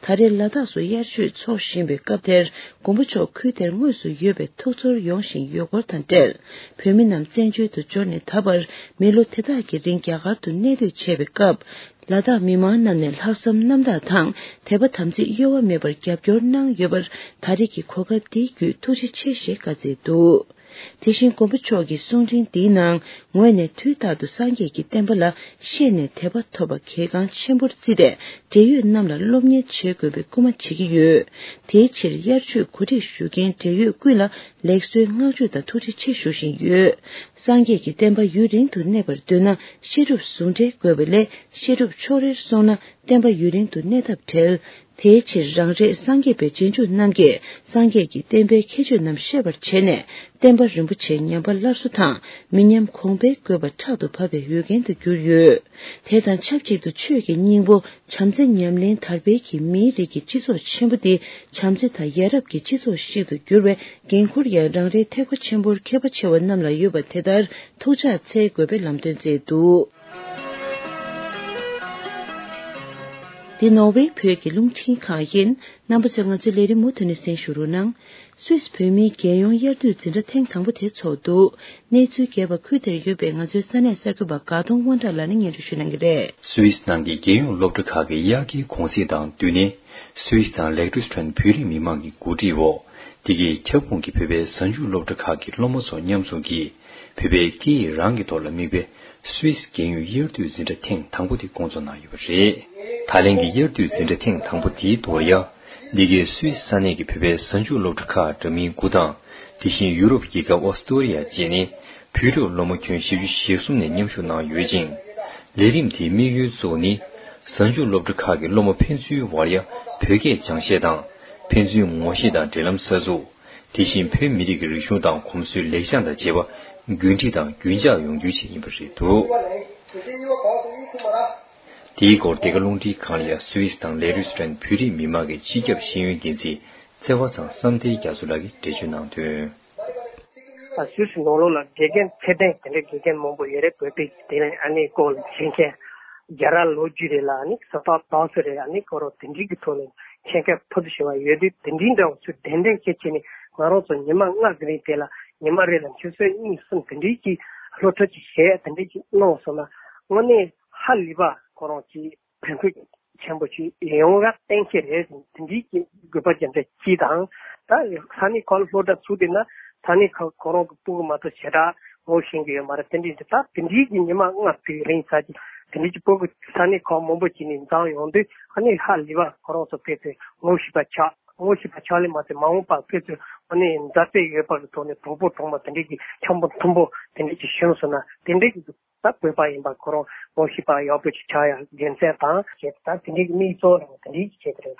ད་རེས་ལ་དྭགས་སུ་དབྱར་ཆོས་འཚོགས་བཞིན་པའི་སྐབས་དེར་མགོན་པོ་མཆོག་ཁུལ་དེར་དངོས་སུ་ཡོད་པའི་ཐུགས་ཚོར་ཡོང་བཞིན་ཡོད་སྐོར་དང་འབྲེལ། བོད་མི་རྣམས་བཙན་བྱོལ་དུ་འབྱོར་ནས་ད་བར་མི་ལོ་དེ་དག་གི་རིང་རྒྱ་གར་དུ་གནས་སྡོད་བྱས་པའི་སྐབས། ལ་དྭགས་མི་མང་རྣམས་ནས་ལྷག་བསམ་རྣམ་དག་དང་དད་པ་དམ་ཚིག་གཡོ་བ་མེད་པར་རྒྱབ་སྐྱོར་གནང་ཡོད་པར་ད་རེས་ཀྱི་གོ་སྐབས་འདིའི་བརྒྱུད་ཐུགས་རྗེ་ཆེ་ཞེས་བཀའ་སྩལ་འདུག་དེ་བཞིན་མགོན་པོ་མཆོག་གི་གསུང་འཕྲིན་འདིའི་ནང་ངོས་ནས་དུས་རྟག་ཏུ་སངས་རྒྱས་ཀྱི་བསྟན་པ་ལ་ཤེས་ནས་དད་པ་ཐོབ་པ་གལ་འགངས་ཆེན་པོར་བརྩིས་ཏེ། འབྲེལ་ཡོད་རྣམས་ལ་སློབ་གཉེར་བྱེད་དགོས་པའི་སྐུལ་མ་བྱེད་ཀྱི་ཡོད། དེའི་ཕྱིར་དབྱར་ཆོས་གོ་སྒྲིག་ཞུ་མཁན་འབྲེལ་ཡོད་ཀུན་ལ་ལེགས་གསོའི་བསྔགས་བརྗོད་དང་ཐུགས་རྗེ་ཆེ་ཞུ་བཞིན་ཡོད། སངས་རྒྱས་ཀྱི་བསྟན་པ་ཡུན་རིང་དུ་གནས་པར་འདོད་ན་བཤད་སྒྲུབ་ཟུང་འབྲེལ་དགོས་པ་ལས། བཤད་སྒྲུབ་ཕྱོགས་རེར་སོང་ན་བསྟན་པ་ཡུན་རིང་དུ་གནས་ཐབས་བྲལ། དེའི་ཕྱིར་རང་རེས་སངས་རྒྱས་པའི་རྗེས་འཇུག་རྣམས་ཀྱིས་སངས་རྒྱས་ཀྱི་བསྟན་པའི་ཁྱད་ཆོས་རྣམས་ཤེས་པར་བྱས་ནས། བསྟན་པ་རིན་པོ་ཆེ་ཉམས་པ་སླར་གསོ་དང་མི་ཉམས་གོང་འཕེལ་དགོས་པ་ཕྲག་ཏུ་བབས་པའི་འོས་འགན་དུ་གྱུར་ཡོད། དེ་དང་ཆབས་ཅིག་ཏུ་ཆོས་ཀྱི་སྙིང་པོ་བྱམས་བརྩེ་ཉམས་ལེན་དར་སྤེལ་གྱིས་མིའི་རིགས་ཀྱི་སྤྱི་ཚོགས་ཆེན་པོ་འདི་བྱམས་བརྩེ་དང་ཡ་རབས་ཀྱི་སྤྱི་ཚོགས་ཤིག་ཏུ་འགྱུར་བའི་འགན་འཁུར་ཡང་རང་རེའི་ཐེག་པ་ཆེན་པོར་མཁས་པ་ཆེ་བ་རྣམས་ལ་ཡོད་པ་དེ་ལྟར་ཐུགས་ཕྱག་འཚལ་དགོས་པའི་ལམ་སྟོན་བསྩལ་འདུག་འདི་ནོར་ཝེ་བོད་ཀྱི་རླུང་འཕྲིན་ཁང་ཡིན། རྣམ་པ་ཚོས་ང་ཚོའི་ལས་རིམ་མུ་མཐུད་ནས་གསན་ཞུ་རོགས་གནང་། སུད་སི་བོད་མིའི་རྒྱལ་ཡོངས་དབྱར་དུས་འཛིན་གྲྭ་ཐེངས་དང་པོ་དེ་ཚོགས་འདུག་གནས་ཚུལ་རྒྱས་པ་ཁུལ་དེར་ཡོད་པའི་ང་ཚོའི་ས་གནས་གསར་འགོད་པ་དགའ་གདོང་དབང་གྲགས་ལགས་ནས་སྙན་སྒྲོན་ཞུ་གནང་གི་རེད། སུད་སི་ནང་གི་རྒྱལ་ཡོངས་སློབ་གྲྭ་ཁག་གི་དབྱར་ཁའི་གུང་གསེང་དང་བསྟུན་ནས། སུད་སི་དང་ལེག་ཏུ་སི་ཐོན་བོད་རིགས་མི་མང་གི་གོ་སྒྲིག་འོག་འདི་གའི་ཁྱབ་ཁོངས་ཀྱི་བོད་པའི་གཟའ་མཇུག་སློབ་གྲྭ་ཁག་གི་སློབ་མ་ཚོ་མཉམ་འཛོམས་ཀྱིས། བོད་པའི་སྐད་ཡིག་རང་གི་ཐོག་ལ་དམིགས་པའི་སུད་སི་རྒྱལ་ཡོངས་དབྱར་དུས་འཛིན་གྲྭ་ཐེངས་དང་པོ་དེ་བསྐོང་ཚོགས་གནང་ཡོད་པ་རེད། ད་ལན་གྱི་དབྱར་དུས་འཛིན་གྲྭ་ཐེངས་དང་པོ་དེའི་ཐོག་ལ་ཡང་། འདི་གའི་སུད་སི་ས་གནས་ཀྱི་བོད་པའི་གཟའ་མཇུག་སློབ་གྲྭ་ཁག་འདྲ་མིན་དགུ་དང་། དེ་བཞིན་ཡུ་རོབ་རྒྱལ་ཁབ་ཨོ་སི་ཏོ་རི་ཡ་བཅས་ནས་བོད་ཕྲུག་སློབ་མ་ཁྱོན་བཞི་བཅུ་ཞེ་གསུམ་ནས་མཉམ་ཞུགས་གནང་ཡོད་ཅིང་། ལས་རིམ་དེའི་དམིགས་ཡུལ་གཙོ་བོ་ནི། གཟའ་མཇུག་སློབ་གྲྭ་ཁག་གི་སློབ་མ་ཕན་ཚུན་བར་ཡ་བོད་སྐད་སྦྱང་ཤེས་དང་། ཕན་ཚུན་ངོ་ཤེས་དང་འབྲེལ་ལམ་གསར་འཛུགས། དེ་བཞིན་བོད་མི་རིགས་ཀྱི་རིག་གཞུང་དང་གོམས་སྲོལ་ལེགས་བྱང་དང་བཅས་པ་རྒྱུན་འཁྲིད་དང་རྒྱུན་འཇགས་ཡོང་རྒྱུའི་ཆེད་ཡིན་པ་རེད་འདུག་དེའི་སྐོར་འདི་ག་རླུང་འཕྲིན་ཁང་ལ་ཡ་སུད་སི་དང་ལེ་རུ་སི་ཐན་བོད་རིགས་མི་མང་གི་སྤྱི་ཁྱབ་ཤེས་ཡོན་འགན་འཛིན་ཚེ་བ་ཚང་བསམ་གཏན་རྒྱ་མཚོ་ལགས་ཀྱིས་འགྲེལ་བརྗོད་གནང་དོན། ད་སུད་སི་ནང་ལོགས་ལ་དགེ་རྒན་ཚད་ལྡན་དེ་འདྲའི་དགེ་རྒན་མང་པོ་ཡོད་རེད། བོད་པའི་དེ་ནས་ཨ་ནི་སྐོར་ལ་མཁྱེན་མཁན་རྒྱ་ར་ལོ་རྒྱུས་རེད་ལ། ཨ་ནི་ས་ཐག་དག་ས་རེད། ཨ་ནི་ཁོ་རང་དེ་འདྲའི་གི་ཐོག་ནས་མཁྱེན་མཁན་ཕུལ་དུ་ཕྱིན་པ་ཡོད་དུས། དེ་འདྲའི་འདྲ་བོ་ཚོས་གདན་འདྲེན་བྱེད་བྱས་ནས་ང་རང་ཚོ་ཉི་མ་ལྔ་གི་རིང་དེ་ལ་ཉི་མ་རེ་ལ་ཆུ་ཚོད་གཉིས་གསུམ་དེ་འདྲའི་གི་སློབ་ཁྲིད་ཅིག་བྱས། དེ་འདྲའི་གི་གནང་སོང་ན་དངོས་གནས་ཧ་ལས་པ་ཁོ་རང་གི་ཕན་ཐོགས་ཆེན་པོ་ཞིག་ཡོང་བ་གཏན་འཁེལ་རེད། དེ་འདྲའི་གི་དགོས་པ་ཅན་དེ་གཅིག་དང་། ད་ས་གནས་ཁག་ལ་སློབ་གྲྭ་ཚུགས་བསྡད་ན་ས་གནས་ཁག་ཁོ་རང་གི་སྤུ་གུ་མ་གཏོགས་ཞེ་དྲག་ངོ་ཤེས་ཀྱི་ཡོད་མ་རེད། དེ་འདྲའི་འདི་ད་དེ་འདྲའི་གི་ཉི་མ་ལྔ་དེའི་རིང་ཙམ་ཅིག་དེ་འདྲའི་གི་སྤུ་གུ་ས་གནས་ཁག་མང་པོ་ཅིག་ནས་འཛོམས་ཡོང་དུས། ཨ་ནི་ཧ་ལས་པ་ཁོ་རང་ཚོ་དཔེ་དེ་ངོ་ཤེས་པ་ཆགས། ངོ་ཤེས་པ་ཆགས་ལས་མ་ཚད་མ་འོངས་པར་དཔེ་ཚོས་ཨ་ནི་མཛའ་བརྩེ་ཡོད་པ་གི་ཐོག་ནས་གྲོགས་པོ་གྲོགས་མོ་དེ་འདྲའི་གི་འཆམ་པོ་མཐུན་པོ་དེ་འདྲའི་གི་བྱུང་སོང་ན་དེ་འདྲའི་གི་ད་བོད་པ་ཡིན་པ་ཁོ་རང་ངོ་ཤེས་པ་ཡག་པོ་ཞིག་ཆགས་ཡ་དགེ་མཚན་དང་བཅས་ད་དེ་འདྲའི་གི་དམིགས་གཙོ་རང་དེ་འདྲའི་གི་བྱེད་ཀྱི་རེད།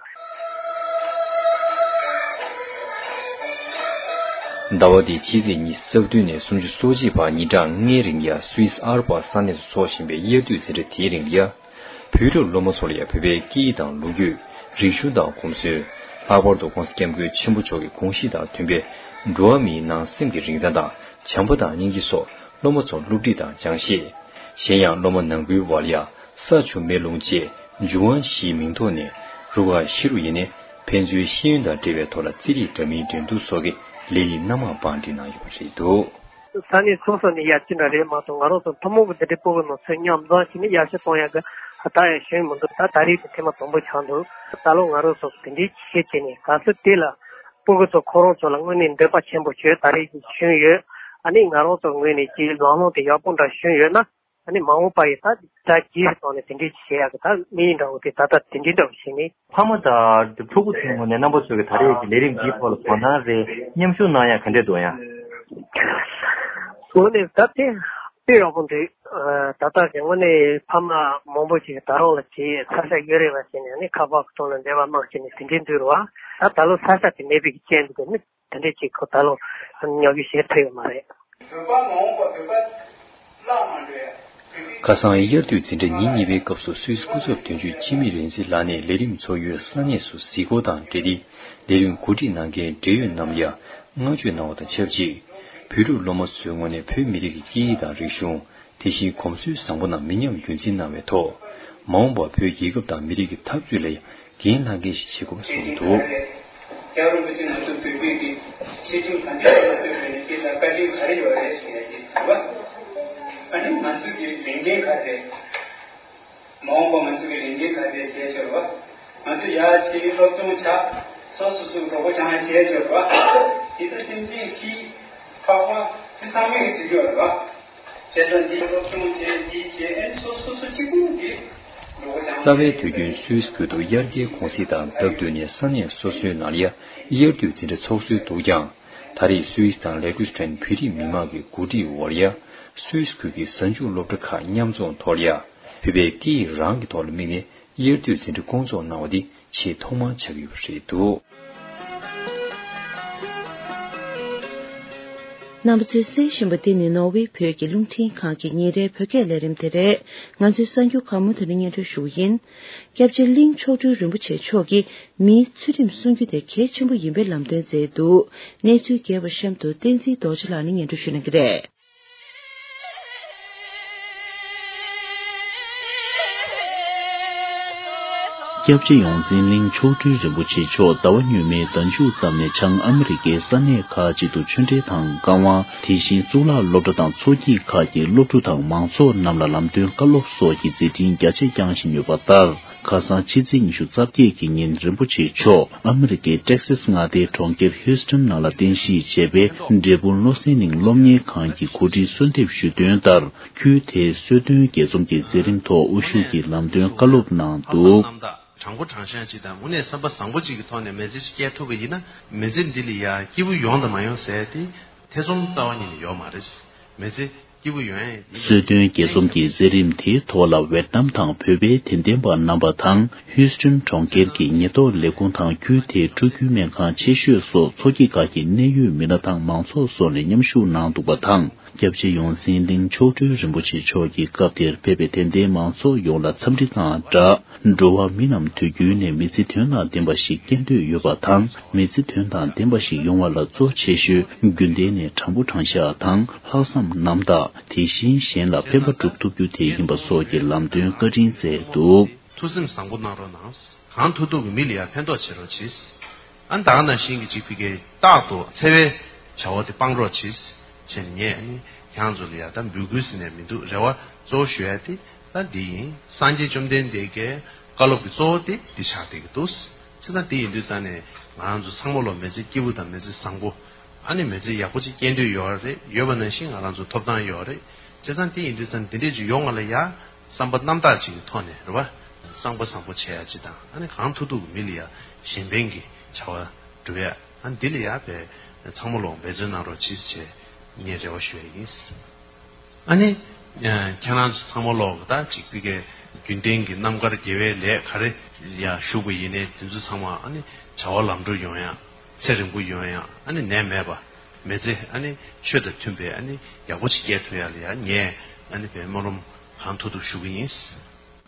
ཟླ་བ་འདིའི་ཕྱི་ཚེས་ཉི་ཤུ་རྩ་བདུན་ནས་སུམ་ཅུ་སོ་གཅིག་བར་ཉིན་གྲངས་ལྔའི་རིང་ཡ་སུད་སི་ཨལ་པ་ས་གནས་སུ་འཚོགས་བཞིན་པའི་དབྱར་དུས་འཛིན་གྲྭ་དེའི་རིང་ལ་ཡ། བོད་ཕྲུག་སློབ་མ་ཚོ་ལ་ཡ་བོད་པའི་སྐད་ཡིག་དང་ལོ་རྒྱུས། རིག་གཞུང་དང་གོམས་སྲོལ། ལྷག་པར་དུ་༸གོང་ས་༸སྐྱབས་མགོན་ཆེན་པོ་མཆོག་གི་དགོངས་གཞི་དང་མཐུན་པའི་འགྲོ་བ་མིའི་ནང་སེམས་ཀྱི་རིན་ཐང་དང་བྱམས་པ་དང་སྙིང་རྗེ་སོགས་སློབ་མ་ཚོར་སློབ་ཁྲིད་དང་སྦྱང་ཤེས། གཞན་ཡང་སློབ་མ་ནང་ཁུལ་བར་ལ་ཡ་ས་ཆུ་མེ་རླུང་བཅས་འབྱུང་བ་བཞིའི་མིང་ཐོག་ནས་རུ་ཁག་བཞི་རུ་ཡིན་ནས་ཕན་ཚུན་ཤེས་ཡོན་དང་འབྲེལ་བའི་ཐོག་ལ་རྩེད་རིགས་འདྲ་མིན་འགྲན་བསྡུར་སོགས་ཀྱི་ལས་རིགས་སྣ་མང་བང་སྒྲིག་གནང་ཡོད་པ་རེད་འདུག། ས་གནས་སོ་སོ་ནས་ཡ་ཅི་འདྲ་རེད་མ་གཏོགས་ང་རང་ཚོ་ཐུན་མོང་གི་འདི་འདྲའི་སྤུ་གུ་ནང་ཚོས་མཉམ་འཛོམས་བྱས་ནས་ཡར་ཞུ་གཏོང་ཡ་གི་ད་ཡ་ཞུས་མི་འདུག། ད་ད་རེས་དེ་ཐེངས་མ་དང་པོ་ཆགས་འདུག། ད་ལོ་ང་རང་ཚོ་དེ་འདྲའི་བྱེད་བྱས་ནས་ག་ཚོད་དེ་ལ་སྤུ་གུ་ཚོ་ཁོ་རང་ཚོ་ལ་དངོས་གནས་འདོད་པ་ཆེན་པོ་བྱོས་ད་རེས་ཀྱི་བྱུང་ཡོད། ཨ་ནི་ང་རང་ཚོ་ངོས་ནས་ཀྱི་ལམ་ལྷོང་དེ་ཡག་པོ་འདྲ་བྱུང་ཡོད་ན། ཨ་ནི་མ་འོངས་པ་ཡི་ད་ད་རྗེས་སུ་བཏང་ནས་དེ་འདྲའི་བྱེད་ཡག་གི་ད་དམིགས་ཡུལ་འདྲ་བོ་དེ་ད་ལྟ་དེ་འདྲའི་འདྲ་བོ་བྱས་ནས། ཕ་མ་དང་ཕྲུ་གུ་ཚོའི་ངོས་ནས་རྣམ་པ་ཚོས་ཀྱི་ད་རེས་ཀྱི་ལས་རིམ་འདིའི་ཐོག་ལ་དོ་སྣང་རེད། མཉམ་ཞུགས་གནང་ཡག་ག་འདྲས་འདུག་ཡང་། དངོས་གནས་ད་དེ་དཔེ་ཡག་པོ་འདུག། ད་ལྟ་གི་དངོས་གནས་ཕ་མ་མང་པོ་ཞིག་ད་རུང་ལ་ཅིག་ས་ཆ་ཡོད་རེད་པ་བྱས་ནས་ནི་ཁ་པར་གི་ཐོག་ལ་འབྲེལ་བ་གནང་བྱས་ནས་དེ་འདྲས་འདུག་རེད་བ། ད་ད་ལོ་ས་ཆ་དེ་མེད་པའི་རྐྱེན་འདུག་གི་ནི། དེ་འདྲས་ཅིག་ཁོ་ད་ལོ་ཉོ་གི་བྱེད་ཐུབ་ཡོད་མ་རེད། བོད་པ་མ་འོངས་པ་བོད་པ་བརླག་མ་འགྲོ་ཡ། ཁ་སང་དབྱར་དུས་འཛིན་གྲྭ་ཉིན་གཉིས་པའི་སྐབས་སུ་སུད་སི་སྐུ་ཚབ་དོན་གཅོད་འཆི་མེད་རིག་འཛིན་ལགས་ནས་ལས་རིམ་ཚོགས་ཡུལ་ས་གནས་སུ་གཟིགས་སྐོར་དང་འབྲེལ་ཏེ་ལས་རིམ་གོ་སྒྲིག་གནང་མཁན་འབྲེལ་ཡོད་རྣམས་ལ་ཡང་བསྔགས་བརྗོད་གནང་བ་དང་ཆབས་ཅིག་བོད་ཕྲུག་སློབ་མ་ཚོའི་ངོས་ནས་བོད་མི་རིགས་ཀྱི་སྐད་ཡིག་དང་རིག་གཞུང་། དེ་བཞིན་གོམས་སྲོལ་བཟང་པོ་རྣམས་མི་ཉམས་རྒྱུན་འཛིན་གནང་བའི་ཐོག་མ་འོངས་པར་བོད་རྒྱལ་ཁབ་དང་མི་རིགས་ཀྱི་འཐབ་རྩོད་ལ་ཡང་འགན་ལྷག་མཁན་ཞིག་བྱེད་དགོས་པ་གསུངས་འདུག། རྒྱལ་བ་རིན་པོ་ཆེ་ང་ཚོ་བོད་པའི་གི་ཆེ་ཆུང་གང་འདྲ་ཡོད་པ་བོད་པའི་ནི་སྐད་དང་བཀའ་དྲིན་ག་རེ་ཡོད་རེད་ཟེར་ཡ་ཅིག་རེད་བ། ཨ་ནི་ང་ཚོ་གི་ལས་འགན་ག་རེ་རེད། མ་འོངས་པ་ང་ཚོ་གི་ལས་འགན་ག་རེ་རེད་ཟེར་ཡ་ཅིག་རེད་བ། ང་ཚོ་ཡར་ཕྱིན་སློབ་སྦྱོང་བྱ། སོ་སོ་སོ་གི་གྲོགས་པོ་སྦྱང་ཡ་བྱས་ཡོད་རེད་བ། དེ་ལྟར་སེམས་ཅན་ཤི། འཕགས་པ་དེ་ཚང་མས་ཀྱི་བྱེད་རྒྱུ་རེད་བ། བྱས་ཙང་འདི་སློབ་སྦྱོང་བྱས་འདི་བྱས་ཨེ་སོ་སོ་སོ་གཅིག་པུ་གི་གྲོགས་པོ་སྦྱང་ཡ། རྩ་བའི་དུས་རྒྱུན་སུད་སི་ཁུལ་དུ་དབྱར་ཁའི་གུང་གསེང་དང་སྟབས་བསྟུན་ནས་ས་གནས་སོ་སོའི་ནང་ལ་ཡ་དབྱར་དུས་འཛིན་གྲྭ་ཚོགས་སྲོལ་འདུག་ཀྱང་། ད་རེས་སུད་སི་དང་ལེ་ཀུ་སི་ཐན་བོད་རིགས་མི་མང་གི་གོ་སྒྲིག་འོག་ལ་ཡ་སུད་སི་ཁུལ་གྱི་གཟའ་མཇུག་སློབ་གྲྭ་ཁག་མཉམ་འཛོམས་ཐོག་ལ་ཡ་བོད་པའི་སྐད་ཡིག་རང་གི་ཐོག་ལ་དམིགས་ནས་དབྱར་དུས་འཛིན་གྲྭ་སྐོང་ཚོགས་གནང་བ་འདི་ཆེས་ཐོག་མར་ཆགས་ཀྱི་ཡོད་པ་རེད་འདུག། རྣམ་པ་ཚོས་གསན་བཞིན་པ་འདི་ནི་ནོར་ཝེ་བོད་ཀྱི་རླུང་འཕྲིན་ཁང་གི་ཉིན་རེའི་བོད་སྐད་ལས་རིམ་དེ་རེད། ང་ཚོའི་གསར་འགྱུར་ཁག་མུ་མཐུད་ནས་སྙན་སྒྲོན་ཞུ་གི་ཡིན། སྐྱབས་རྗེ་གླིང་མཆོག་སྤྲུལ་རིན་པོ་ཆེ་མཆོག་གིས་མིའི་ཚུལ་ཁྲིམས་སྲུང་རྒྱུ་དེ་གལ་ཆེན་པོ་ཡིན་པའི་ལམ་སྟོན་མཛད་འདུག། གནས་ཚུལ་རྒྱས་པ་གཤམ་དུ་བསྟན་འཛིན་རྡོ་རྗེ་ལགས་ནས་སྙན་སྒྲོན་ཞུ་གནང་གི་རེད། སྐྱབས་རྗེ་ཡོངས་འཛིན་གླིང་མཆོག་སྤྲུལ་རིན་པོ་ཆེ་མཆོག་ཟླ་བ་སྔོན་མའི་ཟླ་མཇུག་ཙམ་ནས་བྱང་ཨ་མི་རི་ཀའི་ས་གནས་ཁག་ཅིག་ཏུ་ཆོས་འབྲེལ་དང་བཀའ་དབང་། དེ་བཞིན་གཙུག་ལག་སློབ་གྲྭ་དང་ཚོགས་སྐྱིད་ཁག་གི་སློབ་ཕྲུག་དང་མང་ཚོགས་རྣམས་ལ་ལམ་སྟོན་བཀའ་སློབ་སོགས་ཀྱི་མཛད་འཕྲིན་རྒྱ་ཆེ་བསྐྱངས་བཞིན་ཡོད་པ་ལྟར། ཁ་སང་ཕྱི་ཚེས་ཉི་ཤུ་རྩ་བརྒྱད་ཀྱི་ཉིན་རིན་པོ་ཆེ་མཆོག་ཨ་མི་རི་ཀའི་ཊེག་སཱས་མངའ་སྡེའི་གྲོང་ཁྱེར་ཧིའུ་སི་ཊོན་ནང་ལ་རྟེན་གཞི་བྱས་པའི་འབྲས་སྤུངས་བློ་གསལ་གླིང་སློབ་གཉེར་ཁང་གི་གོ་སྒྲིག་གསོལ་འདེབས་ཞུས་དོན་ལྟར། ཁུལ་དེའི་གསོལ་སྟོན་རྒྱས་འཛོམས་ཀྱི་མཛད་རིམ་ཐོག་དབུ་བཞུགས་ཀྱིས་ལམ་སྟོན་བཀའ་སློབ་གནང་འདུག། དྲང་པོ་དྲང་བཞག་ཅིག་དང་དངོས་གནས་བསམ་པ་བཟང་པོ་ཅིག་གི་ཐོག་ནས་མི་ཚེ་ཅིག་སྐྱེལ་ཐུབ་པ་ཡིན་ན་མི་ཚེ་འདི་ལ་ཡ་སྐྱིད་པོ་ཡོང་དང་མ་ཡོང་ཟེར་ཏེ་ཐེ་ཚོམ་རྩ་བ་ཉིད་ནས་ཡོད་མ་རེད། མི་ཚེ་སྐྱིད་པོ་ཡོང་ཡ་ཡིན། གསོལ་སྟོན་རྒྱས་འཛོམས་ཀྱི་མཛད་རིམ་དེའི་ཐོག་ལ་ཝེད་ནམ་དང་བོད་པའི་དད་ལྡན་པ་རྣམ་པ་དང་ཧིའུ་སི་ཊོན་གྲོང་ཁྱེར་གྱི་ཉེན་རྟོག་ལས་ཁུངས་དང་ཁུལ་དེའི་ཕྲུ་གུའི་སྨན་ཁང་ཆེ་ཤོས་སོགས་ཚོགས་སྐྱིད་ཁག་གི་གནད་ཡོད་མི་སྣ་དང་མང་ཚོགས་སོགས་ནས་མཉམ་ཞུགས་གནང་འདུག་པ་དང་། སྐྱབས་རྗེ་ཡོངས་འཛིན་གླིང་མཆོག་སྤྲུལ་རིན་པོ་ཆེ་མཆོག་གིས་སྐབས་དེར་ཕེབས་པའི་དད་ལྡན་མང་ཚོགས་ཡོངས་ལ་འཚམས་འདྲི་དང་སྦྲགས། འགྲོ་བ་མི་རྣམས་དུས་རྒྱུན་ནས་མི་ཚེ་དོན་དང་ལྡན་པ་ཞིག་སྐྱེལ་འདོད་ཡོད་པ་དང་། མི་ཚེ་དོན་དང་ལྡན་པ་ཞིག་ཡོང་བ་ལ་གཙོ་ཆེ་ཤོས་རྒྱུན་ལྡན་ནས་དྲང་པོ་དྲང་བཞག་དང་ལྷག་བསམ་རྣམ་དག་དེ་བཞིན་གཞན་ལ་ཕན་པ་སྒྲུབ་ཐུབ་རྒྱུ་དེ་ཡིན་པ་སོགས་ཀྱི་ལམ་སྟོན་བཀའ་དྲིན་སྩལ་འདུག། ཐུགས་སེམས་བཟང་པོ་གནང་རོགས་གནང་། གང་ཐུབ་ཐུབ་ཀྱིས་མི་ལ་ཡང་ཕན་ཐོགས་བྱེད་རོགས་གྱིས། ཨ་ནི་ད་ག་ནང་བཞིན་གྱི་ཅིག་ཕ་གིའི་རྟག་ཏུ་འཚེ་བའི་བྱ་བ་དེ་སྤང་རོགས་གྱིས། བྱས་ནས་ངས་ཨ་ནི་ཁྱེད་རང་ཚོ་ལ་ཡང་ད་འབོད་སྐུལ་ཟེར་ནས་མི་འདུག། རེ་བ་གཙོ་བོ་ཞུ་ཡ་དེ་ད་འདི་ཡིན། སངས་རྒྱས་བཅོམ་ལྡན་འདས་ཀྱི་བཀའ་སློབ་ཀྱི་གཙོ་བོ་དེ་འདི་ཆགས་བསྡད་ཀྱི་འདུག། བྱས་ཙང་དེ་ཡིན་དུས་ཙང་ནས་ང་རང་ཚོ་ཚང་མ་ལོ་མི་ཚེ་སྐྱིད་པོ་དང་མི་ཚེ་བཟང་པོ། ཨ་ནི་མི་ཚེ་ཡག་པོ་ཅིག་སྐྱེལ་འདོད་ཡོད་རེད། ཡོད་པ་ནང་བཞིན་ང་རང་ཚོ་ཐོབ་ཐང་ཡོད་རེད། བྱས་ཙང་དེ་ཡིན་དུས་ཙང་འདི་འདྲས་ཅིག་ཡོང་བ་ལ་ཡ། བསམ་པ་རྣམ་དག་ཅིག་གི་ཐོག་ནས་རེད་བ། བསམ་པ་བཟང་པོ་བྱེད་ཡ་ཅིག་དང་། ཨ་ནི་གང་ཐུབ་ཐུབ་ཀྱིས་མི་ལ་ཡ་གཞན་ཕན་གྱི་བྱ་བ་སྒྲུབ་ཡ། ཨ་ནི་འདི་ལ་ཡ་བས་ཚང་མ་ལོ་འབད་བརྩོན་གནང་རོགས་གྱིས་བྱས་ངས་རེ་བ་ཞུ་ཡ་ཡིན། ཨ་ནི། ཁྱེད་རང་ཚོ་ཚང་མ་ལོག་གི་ད་ཅིག་ཕ་གིའི་རྒྱུན་ལྡན་གྱི་རྣམ་དཀར་དགེ་བའི་ལས་ག་རེ་ཡ་ཞུགས་པ་ཡིན་ནའི་དེ་ཚོ་ཚང་མ་ཨ་ནི་བྱ་བ་ལམ་འགྲོ་ཡོང་ཡ། ཚེ་རིང་པོ་ཡོང་ཡ། ཨ་ནི་ནད་མེད་པ། མི་ཚེ་ཨ་ནི་ཆོས་དང་མཐུན་པའི་ཨ་ནི་ཡག་པོ་ཅིག་སྐྱེལ་ཐུབ་ཡ་ལ་ཡ་ངས་ཨ་ནི་བའི་སྨོན་ལམ་གང་ཐུབ་ཐུབ་ཞུ་གི་ཡིན།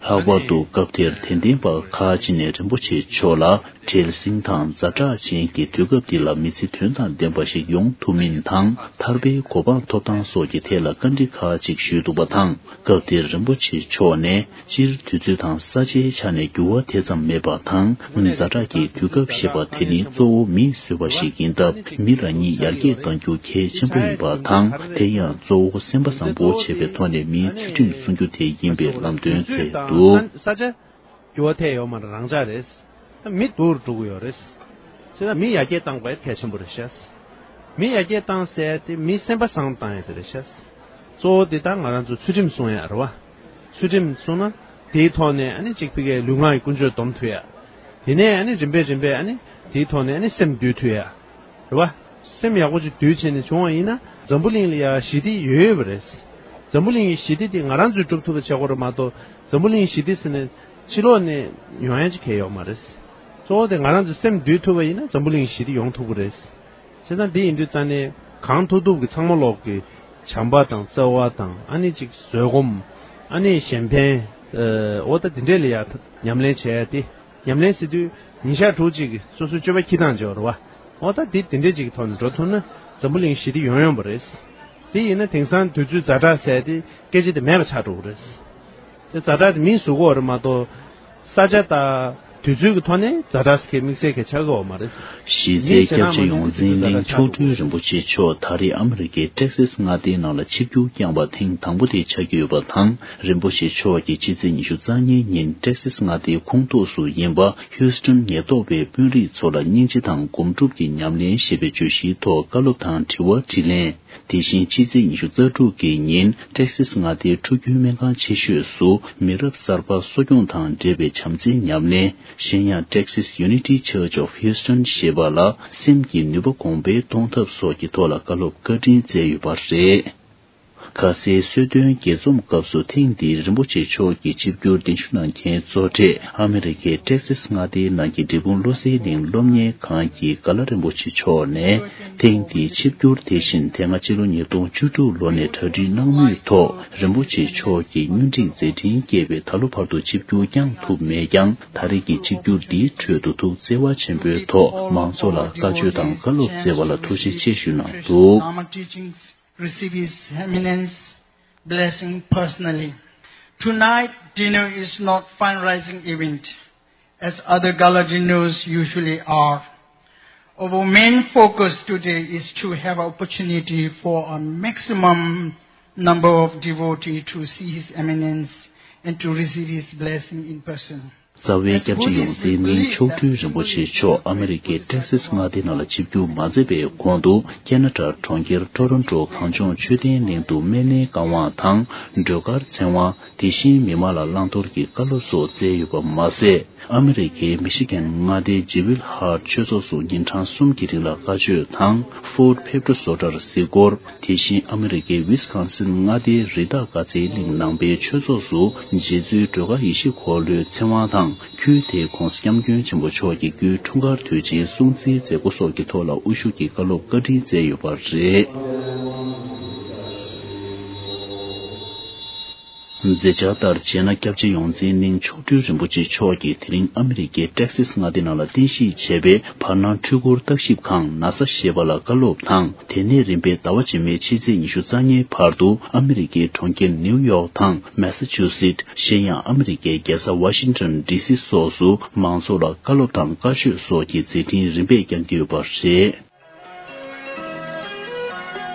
ལྷག་པར་དུ་སྐབས་དེར་དད་ལྡན་པ་ཁག་ཅིག་ནས་རིན་པོ་ཆེ་མཆོག་ལ་བྲེལ་ཟིང་དང་ཛ་དྲག་ཅན་གྱི་དུས་སྐབས་འདི་ལ་མི་ཚེ་དོན་དང་ལྡན་པ་ཞིག་ཡོང་ཐུབ་མིན་དང་། ཐར་པའི་གོ་འཕང་ཐོབ་སྟངས་སོགས་ཀྱི་ཐད་ལ་བཀའ་འདྲི་ཁག་ཅིག་ཞུས་འདུག་པ་དང་། སྐབས་དེར་རིན་པོ་ཆེ་མཆོག་ནས། སྤྱིར་དུས་ཚོད་དང་ས་ཆའི་ཆ་ནས་འགྱུར་བ་དེ་ཙམ་མེད་པ་དང་། ཛ་དྲག་གི་དུས་སྐབས་ཞེས་པ་དེ་ནི་གཙོ་བོ་མིས་བཟོས་པ་ཞིག་ཡིན་སྟབས། མི་རང་ཉིད་ཡར་རྒྱས་གཏང་རྒྱུ་གལ་ཆེན་པོ་ཡིན་པ་དང་། དེ་ཡང་གཙོ་བོ་སེམས་པ་བཟང་པོ་བྱེད་པའི་ཐོག་ནས་མིའི་ཚུལ་ཁྲིམས་སྲུང་རྒྱུ་དེ་ཡིན་པའི་ལམ་སྟོན་མཛད་འདུག། འགྱུར་བ་ཐེབས་ཡོད་མ་རེད། རང་འཇགས་རེད། མི་སྡུག་རུ་འགྲོ་གི་ཡོད་རེད། བྱས་ན་མི་ཡར་རྒྱས་བཏང་དགོས་ཡ་གལ་ཆེན་པོ་རེད་ཤག། མི་ཡར་རྒྱས་བཏང་ཟེར་ཡ་དེ་མི་སེམས་པ་བཟང་བཏང་ཡ་དེ་རེད་ཤག། གཙོ་བོ་དེ་ད་ང་རང་ཚོ་ཚུལ་ཁྲིམས་སྲུང་ཡ་རེད་བ། ཚུལ་ཁྲིམས་སྲུང་ན་དེའི་ཐོག་ནས་ཨ་ནི་གཅིག་ཕ་གིའི་ལུས་ངག་གི་ཀུན་སྤྱོད་སྡོམ་ཐུབ་ཡ། དེ་ནས་ཨ་ནི་རིམ་པས་རིམ་པས་ཨ་ནི་དེའི་ཐོག་ནས་ཨ་ནི་སེམས་འདུལ་ཐུབ་ཡ། རེད་བ། སེམས་ཡག་པོ་ཅིག་འདུལ་བྱས་ནས་བྱུང་བ་ཡིན་ན་འཛམ་བུ་གླིང་ལ་ཡ་ཞི་བདེ་ཡོད་ཡོད་པ་རེད། འཛམ་བུ་གླིང་གི་ཞི་བདེ་དེ་ང་རང་ཚོས་སྒྲུབ་ཐུབ་པ་བྱེད་དགོས་རེད་མ་གཏོགས། འཛམ་བུ་གླིང་ཞི་བདེ་ཟེར་ནས་ཕྱི་ལོགས་ནས་ཡོང་ཡ་ཅིག་གང་ཡང་ཡོད་མ་རེད། གཙོ་བོ་དེ་ང་རང་ཚོའི་སེམས་འདུལ་ཐུབ་པ་ཡིན་ན་འཛམ་བུ་གླིང་ཞི་བདེ་ཡོང་ཐུབ་ཀྱི་རེད། བྱས་ཙང་འདི་ཡིན་དུས་ཙང་ནས་གང་ཐུབ་ཐུབ་ཀྱིས་ཚང་མ་ལོག་གི་བྱམས་པ་དང་བརྩེ་བ་དང་ཨ་ནི་ཅིག་བཟོད་སྒོམ། ཨ་ནི་གཞན་ཕན། འོ་ད་འདི་འདྲས་ལ་ཡ་ཉམས་ལེན་བྱས་ཏེ། ཉམས་ལེན་ཟེར་དུས་ཉིན་ཞག་དྲུག་ཅིག་གི་སོ་སོའི་སྤྱོད་པ་འཁྱེར་སྟངས་བྱས་པ་རེད་བ། འོ་ད་འདི་འདི་འདྲས་ཅིག་གི་ཐོག་ནས་འགྲོ་ཐུབ་ན་འཛམ་བུ་གླིང་ཞི་བདེ་ཡོང་ཡོང་པ་རེད། དེ་ཡིན་ན་དེང་སང་དུས་ཚོད་ཛ་དྲག་ཟེར་ཏེ་སྐད་ཆ་དེ་མེད་པ་ཆགས་འགྲོ་གི་རེད། དེ་ཛ་དྲག་དེ་མིས་བཟོ་གི་ཡོད་རེད་མ་གཏོགས། ས་ཆ་དང་དུས་ཚོད་ཀྱི་ཐོག་ནས་ཛ་དྲག་ཟེར་མཁན་དམིགས་བསལ་གྱི་ཆགས་ཀྱི་ཡོད་མ་རེད། གཞི་རྩའི་སྐྱབས་རྗེ་ཡོངས་འཛིན་གླིང་མཆོག་སྤྲུལ་རིན་པོ་ཆེ་མཆོག་ད་རེས་ཨ་མི་རི་ཀའི་ཊེག་སིས་མངའ་སྡེའི་ནང་ལ་ཆིབས་བསྒྱུར་བསྐྱངས་པ་ཐེངས་དང་པོ་དེ་ཆགས་ཀྱི་ཡོད་པ་དང་། རིན་པོ་ཆེ་མཆོག་གིས་ཕྱི་ཚེས་ཉི་ཤུ་རྩ་གཉིས་ཉིན་ཊེག་སིས་མངའ་སྡེའི་ཁོངས་གཏོགས་སུ་ཡིན་པ་ཧིའུ་སི་ཊོན་ཉེན་རྟོག་པའི་དཔོན་རིགས་ཚོ་ལ་སྙིང་རྗེ་དང་སྒོམ་སྒྲུབ་ཀྱི་ཉམས་ལེན་ཞེས་པའི་བརྗོད་གཞིའི་ཐོག་བཀའ་སློབ་དང་དྲི་བ་དྲིས་ལན། དེ་བཞིན་ཕྱི་ཚེས་ཉི་ཤུ་རྩ་དྲུག་གི་ཉིན་ཊེག་སིས་མངའ་སྡེའི་ཕྲུ་གུའི་སྨན་ཁང་ཆེ་ཤོས་སུ་མི་རབས་གསར་པ་གསོ་སྐྱོང་དང་འབྲེལ་བའི་བྱམས་བརྩེའི་ཉམས་ལེན། གཞན་ཡང་Texas Unity Church of Houston ཞེས་པ་ལ་སེམས་ཀྱི་ནུས་པ་གོང་འཕེལ་གཏོང་ཐབས་སོགས་ཀྱི་ཐོག་ལ་བཀའ་སློབ་བཀའ་དྲིན་སྩལ་ཡོད་པ་རེད། ཁ་སའི་གསོལ་སྟོན་དགྱེས་འཛོམས་སྐབས་སུ་ཐེངས་འདིའི་རིན་པོ་ཆེ་མཆོག་གི་ཆིབས་བསྒྱུར་གདན་ཞུ་གནང་མཁན་གཙོ་གྲས་ཨ་མི་རི་ཀའི་ཊེག་སིས་མངའ་སྡེའི་ནང་གི་འབྲས་སྤུངས་བློ་གསལ་གླིང་སློབ་གཉེར་ཁང་གི་མགར་བླ་རིན་པོ་ཆེ་མཆོག་ནས། ཐེངས་འདིའི་ཆིབས་བསྒྱུར་དེ་བཞིན་དེ་སྔ་ཕྱི་ལོ་ཉིས་སྟོང་བཅུ་དྲུག་ལོ་ནས་གྲ་སྒྲིག་གནང་མུས་ཐོག་རིན་པོ་ཆེ་མཆོག་གིས་སྙུན་འགྲིག་མཛད་འཕྲིན་བསྐྱལ་བས་ད་ལོ་བར་དུ་ཆིབས་བསྒྱུར་བསྐྱངས་ཐུབ་མེད་ཀྱང་། ད་རེས་ཀྱི་ཆིབས་བསྒྱུར་འདིའི་ཁྲོད་དུ་ཐུགས་བརྩེ་བ་ཆེན་པོའི་ཐོག་མང་ཚོགས་ལ་བཀའ་ཆོས་དང་བཀའ་སློབ་སྩལ་བ་ལ་ཐུགས་རྗེ་ཆེ་ཞུ་གནང་འདུག། Receive His Eminence blessing personally. Tonight dinner is not fundraising event as other gala dinners usually are. Our main focus today is to have opportunity for a maximum number of devotees to see His Eminence and to receive His blessing in person. རྩ་བའི་སྐྱབས་རྗེ་ཡོངས་འཛིན་གླིང་མཆོག་སྤྲུལ་རིན་པོ་ཆེ་མཆོག་ཨ་མི་རི་ཀའི་ཊེག་སིས་མངའ་སྡེ་ནང་ལ་ཆིབས་བསྒྱུར་མ་མཛད་པའི་གོང་དུ། ཁེ་ན་ཌ་གྲོང་ཁྱེར་ཊོ་རོན་ཊོ་གངས་ལྗོངས་མཆོད་རྟེན་གླིང་དུ་སྨན་བླའི་བཀའ་དབང་དང་། སྒྲོལ་དཀར་ཚེ་དབང་། དེ་བཞིན་མི་མང་ལ་བླང་དོར་གྱི་བཀའ་སློབ་སོགས་སྩལ་ཡོད་པ་མ་ཟད། ཨ་མི་རི་ཀའི་མི་ཤི་གན་མངའ་སྡེའི་ཇེ་ཝིལ་ཧར་ཆོས་ཚོགས་སུ་ཉིན་གྲངས་གསུམ་གྱི་རིང་ལ་བཀའ་ཆོས་དང་། ཕོར་ཌི་ཕེབ་ཊོ་སོ་ཊར་གཟིགས་སྐོར། དེ་བཞིན་ཨ་མི་རི་ཀའི་ཝི་སི་ཀོན་སིན་མངའ་སྡེའི་རི་དྭགས་དགའ་ཚལ་གླིང་ནང་པའི་ཆོས་ཚོགས་སུ་རྗེ་བཙུན་སྒྲོལ་དཀར་ཡེ་ཤེས་འཁོར་ལོའི་ཚེ་དབང་དང་། ཁུལ་དེའི་༧གོང་ས་༧སྐྱབས་མགོན་ཆེན་པོ་མཆོག་གི་སྐུའི་འཁྲུངས་སྐར་དུས་ཆེན་སྲུང་བརྩིའི་མཛད་སྒོ་སོགས་ཀྱི་ཐོག་ལ་དབུ་བཞུགས་ཀྱིས་བཀའ་སློབ་བཀའ་དྲིན་སྩལ་ཡོད་པ་རེད། མཛད་འཆར་ལྟར་བྱས་ན། སྐྱབས་རྗེ་ཡོངས་འཛིན་གླིང་མཆོག་སྤྲུལ་རིན་པོ་ཆེ་མཆོག་གིས་དེ་རིང་ཨ་མི་རི་ཀའི་ཊེག་སིས་མངའ་སྡེ་ནང་ལ་རྟེན་གཞི་བྱས་པའི་བར་སྣང་འཕྲུལ་འཁོར་བརྟག་ཞིབ་ཁང་ནཱ་ས་ཞེས་པ་ལ་བཀའ་སློབ་དང་། དེ་ནས་རིམ་པས་ཟླ་བ་རྗེས་མའི་ཕྱི་ཚེས་ཉི་ཤུ་རྩ་ལྔའི་བར་དུ་ཨ་མི་རི་ཀའི་གྲོང་ཁྱེར་ནིའུ་ཡོག་དང་མེ་ས་ཆུ་སིད། གཞན་ཡང་ཨ་མི་རི་ཀའི་རྒྱལ་ས་ཝ་ཤིང་ཊོན་ཌི་སི་སོགས་སུ་མང་ཚོགས་ལ་བཀའ་སློབ་དང་བཀའ་ཆོས་སོགས་ཀྱི་མཛད་འཕྲིན་རིམ་པས་བསྐྱངས་ཀྱི་ཡོད་པ་རེད།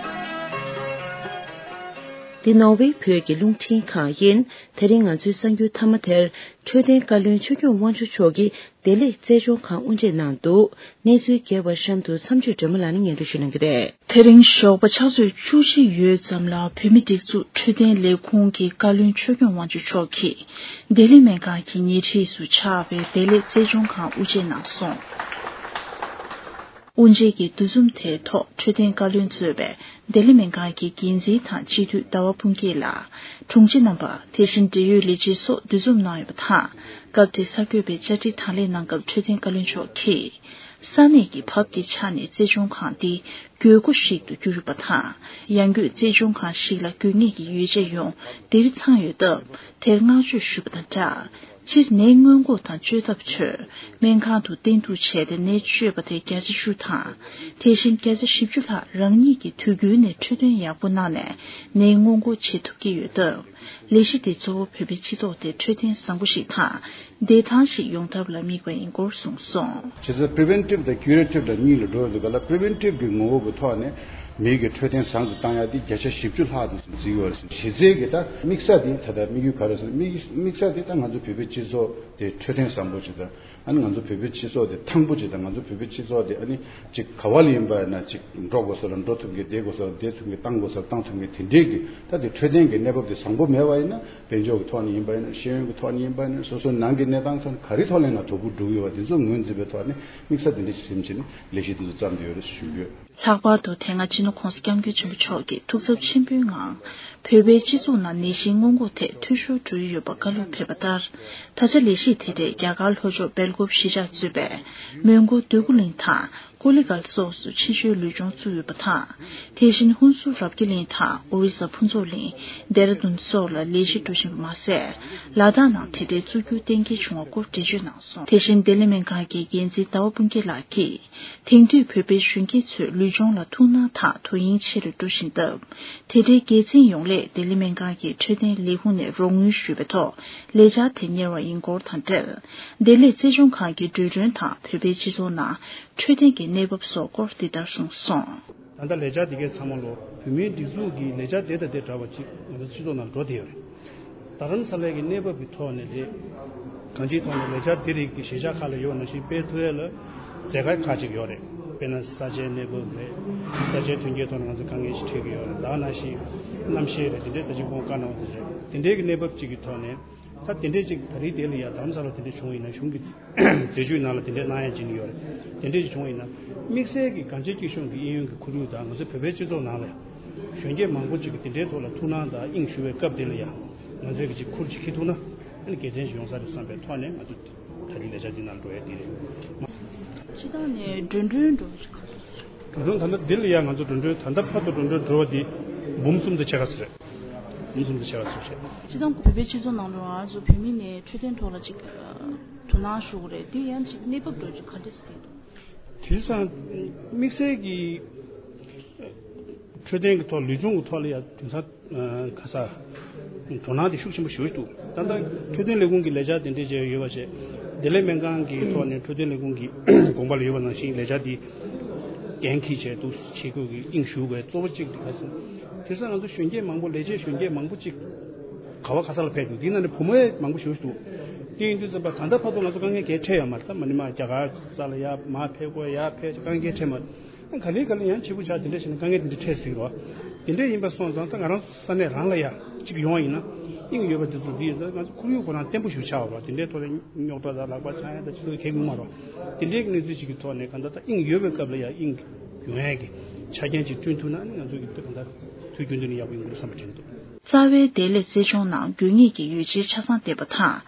འདི་ནོར་ཝེ་བོད་ཀྱི་རླུང་འཕྲིན་ཁང་ཡིན། དེ་རིང་ང་ཚོའི་གསར་འགྱུར་མཐའ་མ་དེར། འཕྲོད་བསྟེན་བཀའ་བློན་ཆོས་སྐྱོང་དབང་ཕྱུག་མཆོག་གིས་བདེ་ལེགས་རྩེད་སྦྱོང་ཁང་དབུ་འབྱེད་གནང་འདུག་གནས་ཚུལ་རྒྱས་པ་གཤམ་དུ་མཚམས་གཅོད་སྒྲོལ་མ་ལགས་ནས་སྙན་སྒྲོན་ཞུ་གནང་གི་རེད། དེ་རིང་ཞོགས་པ་ཕྱག་ཚོད་བཅུ་གཅིག་ཡོལ་ཙམ་ལ་བོད་མིའི་སྒྲིག་འཛུགས་འཕྲོད་བསྟེན་ལས་ཁུངས་ཀྱི་བཀའ་བློན་ཆོས་སྐྱོང་དབང་ཕྱུག་མཆོག་གིས་ལྡི་ལི་སྨན་ཁང་གི་ཉེ་འཁྲིས་སུ་ཆགས་པའི་བདེ་ལེགས་རྩེད་སྦྱོང་ཁང་དབུ་འབྱེད་གནང་སོང་། དབུ་འབྱེད་ཀྱི་འདུ་འཛོམས་དེའི་ཐོག་འཕྲོད་བསྟེན་བཀའ་བློན་གཙོས་པའི་ལྡི་ལི་སྨན་ཁང་གི་འགན་འཛིན་དང་སྤྱི་འཐུས་ཟླ་བ་ཕུན་སྐྱིད་ལགས། དྲུང་ཆེ་རྣམ་པ། དེ་བཞིན་འབྲེལ་ཡོད་ལས་བྱེད་སོགས་འདུ་འཛོམས་གནང་ཡོད་པ་དང་། སྐབས་དེར་གསར་འགོད་པས་བཅར་འདྲི་དང་ལེན་གནང་སྐབས་འཕྲོད་བསྟེན་བཀའ་བློན་མཆོག་གིས། ས་གནས་ཀྱི་བབ་དེ་ཆ་ནས་རྩེད་སྦྱོང་ཁང་འདི་དགོས་མཁོ་ཞིག་ཏུ་གྱུར་ཡོད་པ་དང་། ཡང་སྒོས་རྩེད་སྦྱོང་ཁང་ཞིག་ལ་དགོས་ངེས་ཀྱི་ཡོ་བྱད་ཡོངས་འདིར་ཚང་ཡོད་སྟབས། དེར་བསྔགས་བརྗོད་ཞུས་པ་དང་སྦྲགས། སྤྱིར་ནད་སྔོན་འགོག་དང་བཅོས་ཐབས་ཁྲོད་སྨན་ཁང་དུ་བསྟེན་གཏུགས་བྱས་ཏེ་ནད་བཅོས་པ་དེ་བརྒྱ་ཆ་བཅུ་དང་། དེ་བཞིན་བརྒྱ་ཆ་བཞི་བཅུ་ལྷག་རང་ཉིད་ཀྱིས་དུས་རྒྱུན་ནས་འཕྲོད་བསྟེན་ཡག་པོ་གནང་ནས་ནད་སྔོན་འགོག་བྱེད་ཐུབ་ཀྱི་ཡོད་སྟབས། ལས་གཞི་འདི་གཙོ་བོ་བོད་པའི་སྤྱི་ཚོགས་དེ་འཕྲོད་བསྟེན་བཟང་པོ་ཞིག་དང་བདེ་ཐང་ཞིག་ཡོང་ཐབས་ལ་དམིགས་པ་ཡིན་སྐོར་གསུངས་སོང་། བྱས་ཙང་preventive་དང་curative་དང་གཉིས་ལ་འགྲོ་ཡོད་པའི་སྐབས་ལ་preventive་གི་ངོ་བོ་གི་ཐོག་ནས་མི་གི་འཕྲོད་བསྟེན་བཟང་དུ་བཏང་ཡག་དེ་བརྒྱ་ཆ་བཞི་བཅུ་ལྷག་དུ་འཛིན་ཡོད་རེད། གཞི་རྩའི་གི་ད་དམིགས་ས་དེ་ད་ལྟ་དམིགས་ཡུལ་ག་རེ་ཟེར་ན་དམིགས་དམིགས་ས་དེ་ད་ང་ཚོ་བོད་པའི་སྤྱི་ཚོགས་དེ་འཕྲོད་བསྟེན་བཟང་པོ་ཅིག་དང་། ཨ་ནི་ང་ཚོ་བོད་པའི་སྤྱི་ཚོགས་དེ་ཐང་པོ་ཅིག་དང་། ང་ཚོ་བོད་པའི་སྤྱི་ཚོགས་དེ་ཨ་ནི་ཅིག་ག་བ་ལ་ཡིན་པ་ཡིན་ན་ཅིག་འགྲོ་དགོས་ས་ལ་འགྲོ་ཐུབ་མཁན། བསྡད་དགོས་ས་ལ་བསྡད་ཐུབ་མཁན། དེ་འདྲའི་གི་ད་དེ་འཕྲོད་བསྟེན་གྱི་གནས་བབ་དེ་བཟང་པོ་མེད་པ་ཡིན་ན། དཔལ་འབྱོར་གྱི་ཐོག་ནས་ཡིན་པ་ཡིན་ན། ཤེས་ཡོན་གྱི་ཐོག་ནས་ཡིན་པ་ཡིན་ན། སོ་སོའི་ནང་གི་གནས་སྟངས་ཐོག་ནས་ག་རེ་ཐོག་ལ་ཡིན་ན་དོ་ཁུར་སྒྲུབ་ཡོད་པ་དེ་ཚོ་ངོས་འཛིན་པའི་ཐོག་ནས་དམིགས་ས་དེ་འདྲ་ཞིག་སེམས་བྱས་ནས་ལས་གཞི་དེ་ཚོ་བརྩམས་ཏེ་ཡོད་རེད་ཞུ་གི་ཡོད། ལྷག་པར་དུ་དེ་སྔ་སྤྱི་ནོར་༸གོང་ས་༸སྐྱབས་མགོན་ཆེན་པོ་མཆོག་གིས་ཐུགས་འཚབ་ཆེན་པོའི་ངང་བོད་པའི་སྤྱི་ཚོགས་ནང་ནད་གཞི་སྔོན་འགོག་ཐད་འཐུས་ཤོར་འགྲོ་ཡི་ཡོད་པ་བཀའ་སློབ་ཕེབས་པ་ལྟར། ད་ཆ་ལས་གཞི་དེ་གྲས་རྒྱ་གར་ལྷོ་ཕྱོགས་སྦེལ་ཀོབ་གཞིས་ཆགས་གཙོས་པའི་མོན་གྷོ་འདོད་རྒུ་གླིང་དང་ཀོ་ལི་གྷལ་སོགས་སུ་ཕྱི་བཤོལ་ལུས་སྦྱོང་བཙུགས་ཡོད་པ་དང་། དེ་བཞིན་ཧུན་སུར་རབ་རྒྱས་གླིང་དང་ཨོ་རི་ས་ཕུན་ཚོགས་གླིང་། ལྡེ་ར་ལྡུན་སོགས་ལ་ལས་གཞི་འགྲོ་བཞིན་པ་མ་ཟད། ལ་དྭགས་ནང་དེ་འདྲའི་བཙུགས་རྒྱུ་གཏན་འཁེལ་བྱུང་བ་སྐོར་འགྲེལ་བརྗོད་གནང་སོང་། དེ་བཞིན་ལྡི་ལི་སྨན་ཁང་གི་འགན་འཛིན་ཟླ་བ་སྤུན་སྐྱིད་ལགས་ཀྱིས། དེང་དུས་བོད་པའི་གཞོན་སྐྱེས་ཚོས་ལུས་སྦྱོང་ལ་ཐུགས་སྣང་དང་དོ་དབྱིངས་ཆེ་རུ་འགྲོ་བཞིན་སྟབས། དེ་འབྲེལ་སྒེར་འཛིན་ཡོངས་ལས་ལྡི་ལི་སྨན་ཁང་གི་འཕྲོད་བསྟེན་ལས་ཁུངས་ནས་རོགས་དངུལ་ཞུས་པའི་ཐོག་ལས་འཆར་དེ་གཉེར་བ་ཡིན་སྐོར་དང་འབྲེལ། བདེ་ལེགས་རྩེད་སྦྱོང་ཁང་གི་འགྲོ་གྲོན་དང་བོད་པའི་སྤྱི་ཚོགས་ནང་འཕྲོད་བསྟེན་གྱི་གནས་བབ་སོགས་སྐོར་འདི་ལྟར་གསུངས་སོང་། ད་ལྟ་ལས་འཆར་འདི་གའི་ཚང་མ་ལོ་བོད་མིའི་སྒྲིག་འཛུགས་ཀྱི་ལས་འཆར་དེ་དང་དེ་འདྲ་བ་ཅིག་ང་ཚོ་སྤྱི་ཚོགས་ནང་འགྲོ་བསྡད་ཡོད་རེད། རྡ་རམ་ས་ལའི་གི་གནས་བབ་ཀྱི་ཐོག་ནས་རེད། གང་ཅིའི་ཐོག་ནས་ལས་འཆར་འདི་རིགས་ཀྱི་གཞིས་ཆགས་ཁག་ལ་ཡོད་ནང་བཞིན་སྤེལ་ཐུབ་ཡས་ལ་མཛད་དཀའ་ཁག་ཅིག་ཡོད་རེད། དཔེར་ན་ས་ཆའི་གནས་བབ་རེད། ས་ཆའི་མཐུན་རྐྱེན་ཐོག་ནས་ང་ཚོ་དཀའ་ངལ་ཞིག་འཕྲད་ཀྱི་ཡོད་རེད། ད་ག་ནང་བཞིན་གནམ་གཤིས་རེད། དེ་འདྲའི་ད་ཅིག་ཁོང་བཀའ་གནང་བ་དེ་རེད། དེ་འདྲའི་གི་གནས་བབ་ཅིག་གི་ཐོག་ནས་ད་དེ་འདྲའི་ཅིག་ད་རེས་དེ་ལ་ཡ་རྡ་རམ་ས་ལ་དེ་འདྲ་བྱུང་བ་ཡིན་ན་གཞུང་གི་སྲིད་ཇུས་ནང་ལ་དེ་འདྲའི་གནང་ཡ་ཅིག་ཡོད་རེད། དེ་འདྲའི་ཅིག་བྱུང་བ་ཡིན་ན་དམིགས་བསལ་གྱི་གངས་ཅན་སྐྱིད་གཤོངས་ཀྱི་དབྱིན་ཡུལ་གྱི་ཁོར་ཡུག་དང་ང་ཚོ་བོད་པའི་སྤྱི་ཚོགས་ནང་ལ་ཡ། གཞོན་སྐྱེས་མང་པོ་ཅིག་གིས་དེ་འདྲའི་ཐོག་ལ་ཐུགས་སྣང་དང་དབྱིངས་ཞུགས་པའི་སྐབས་དེ་ལ་ཡང་ང་ཚོས་ཀྱི་ཅིག་ཁུར་ཅིག་འཁྱེར་ཐུབ་ན་ཨ་ནི་དགེ་མཚན་ཞིག་ཡོང་ས་རེད་བསམ་པའི་ཐོག་ནས་ང་ཚོ་ད་རེས་ལས་འཆར་འདི་ནང་འགྲོ་ཡ་དེ་རེད། སྤྱི་བཏང་ནས་འགྲོ་གྲོན་འགྲོ་གྲོན་ད་ལྟ་འདི་ལ་ཡང་ང་ཚོ་འགྲོ་གྲོན་ད་ལྟ་བར་དུ་འགྲོ་གྲོན་འགྲོ་བ་འདི་འབུམ་གསུམ་དང་ཕྱེད་ཀ་ཙམ་རེད། འབུམ་གསུམ་དང་ཕྱེད་ཀ་ཙམ་རེད། སྤྱི་བཏང་བོད་པའི་སྤྱི་ཚོགས་ནང་ལ་ང་ཚོ་བོད་མི་ནས་འཕྲོད་བསྟེན་ཐོག་ལ་ཅིག་དོ་སྣང་ཞུ་དགོས་རེད། འདི་ཡང་ཅིག་གནས་བབ་འགྲོ་ཅིག་ག་འདྲ་ཟེར་འདུག་དེང་སང་དམིགས་བསལ་གྱི་འཕྲོད་བསྟེན་གྱི་ཐོག་ལུས་སྦྱོང་གི་ཐོག་ལ་ཡང་དེང་སང་ཁ་ས་དོ་སྣང་དེ་ཤུགས་ཆེན་པོ་ཞེ་པོ་ཞིག་འདུག་ད་ལྟ་འཕྲོད་བསྟེན་ལས་ཁུངས་ཀྱི་ལས་འཆར་དེ་འདྲས་བྱས་ཡོད་པ་བྱས། བདེ་ལེགས་སྨན་ཁང་གི་ཐོག་ནས་འཕྲོད་བསྟེན་ལས་ཁུངས་ཀྱི་དགོངས་པ་ལ་ཡོད་པ་ནང་བཞིན་ལས་འཆར་འདི་འགན་འཁྱེར་བྱས་འདུག་བྱེད་དགོས་ཀྱི་དབྱིངས་ཞུགས་པའི་གཙོ་བོ་གཅིག་དེ་ག་ཟེར་ན། དེང་སང་ང་ཚོ་གཞོན་སྐྱེས་མང་པོ་ལས་བྱེད་གཞོན་སྐྱེས་མང་པོ་གཅིག་ག་བ་ག་ས་ལ་ཕེབས་འདུག་དེའི་ནང་ནས་བུ་མོ་ཡང་མང་པོ་ཞེ་པོ་ཞིག་འདུག་དེ་ཡིན་དུས་ཙམ་པ་ད་ལྟ་བར་དུ་ང་ཚོ་དཀའ་ངལ་གང་ཡང་འཕྲད་ཡོད་མ་རེད། ད་མ་ཎི་མ་རྒྱ་གར་ས་ལ་ཡར་མར་ཕེབས་དགོས། ཡར་ཕེབས་དཀའ་ངལ་འཕྲད་མ་རེད། ག་ལེ་ག་ལེ་ཡང་བྱེད་དགོས་ཆགས་དེ་འདྲ་བྱས་ན་དཀའ་ངལ་དེ་འདྲ་འཕྲད་སྲིད་རོགས། དེ་འདྲ་ཡིན་པ་སོང་ཙང་ད་ང་རང་ས་གནས་རང་ལ་ཡ་གཅིག་ཡོང་བ་ཡིན་ན་དབྱིངས་ཡོད་པ་དེ་ཚོ་འདི་ཡིན་ཙང་ང་ཚོ་ཁོར་ཡུག་ཁོ་རང་བརྟན་པོ་ཞིག་ཆགས་པ་རོགས། དེ་འདྲའི་ཐོག་ལ་རྙོག་དྲ་དང་ལག་པ་འཆང་ཡ་དང་ཅི་ཚོ་གལ་ཡོང་མ་རོགས། དེ་འདྲའི་གནས་ཚུལ་ཅིག་གི་ཐོག་ནས་གང་ལྟར་ད་དབྱིངས་ཡོད་པའི་སྐབས་ལ་ཡ་དབྱིངས་ཡོང་ཡ་གི་ཆ་རྐྱེན་ཅིག་བསྐྲུན་ཐུབ་ན་ཨ་ནི་ང་ཚོ་གི་ད་གང་ལྟར་དུས་རྒྱུན་དུ་ནས་ཡག་པོ་ཡོང་གི་རེད་བསམ་པ་དྲན་འདུག་རྩ་བའི་བདེ་ལེགས་རྩེད་སྦྱོང་ནང་དགོས་ངེས་ཀྱི་ཡོ་བྱད་ཆ་ཚང་ལྡན་པ་དང་།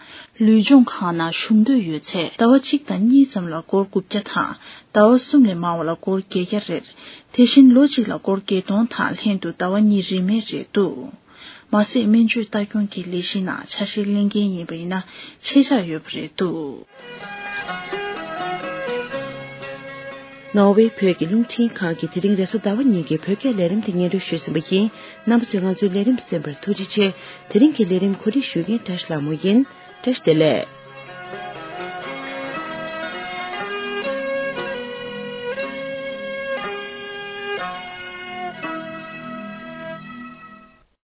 ལུས་སྦྱོང་ཁང་ནང་ཞུགས་འདོད་ཡོད་ཚེ་ཟླ་བ་གཅིག་དང་གཉིས་ཙམ་ལ་སྒོར་དགུ་བརྒྱ་དང་ཟླ་བ་གསུམ་ལས་མང་བ་ལ་སྒོར་བརྒྱད་བརྒྱ་རེད། དེ་བཞིན་ལོ་གཅིག་ལ་སྒོར་བརྒྱད་སྟོང་དང་ལྷན་དུ་ཟླ་བ་གཉིས་རིན་མེད་རེད་འདུག་མ་ཟད་སྨན་བཅོས་ལྟ་སྐྱོང་གི་ལས་གཞི་ནང་ཆ་ཤས་ལེན་མཁན་ཡིན་པ་ཡིན་ན་ཆད་འཇགས་ཡོད་པ་རེད་འདུག། ནོར་ཝེ་བོད་ཀྱི་རླུང་འཕྲིན་ཁང་གིས་དེ་རིང་རེས་གཟའ་ཟླ་བ་ཉིན་གྱི་བོད་སྐད་ལས་རིམ་དེ་སྙན་སྒྲོན་ཞུས་ཟིན་པ་ཡིན། རྣམ་པ་ཚོས་ང་ཚོའི་ལས་རིམ་གསན་པར་ཐུགས་རྗེ་ཆེ། དེ་རིང་གི་ལས་རིམ་གོ་སྒྲིག་ཞུ་མཁན་བཀྲ་ཤིས་ལྷ་མོ་ཡིན། བཀྲ་ཤིས་བདེ་ལེགས།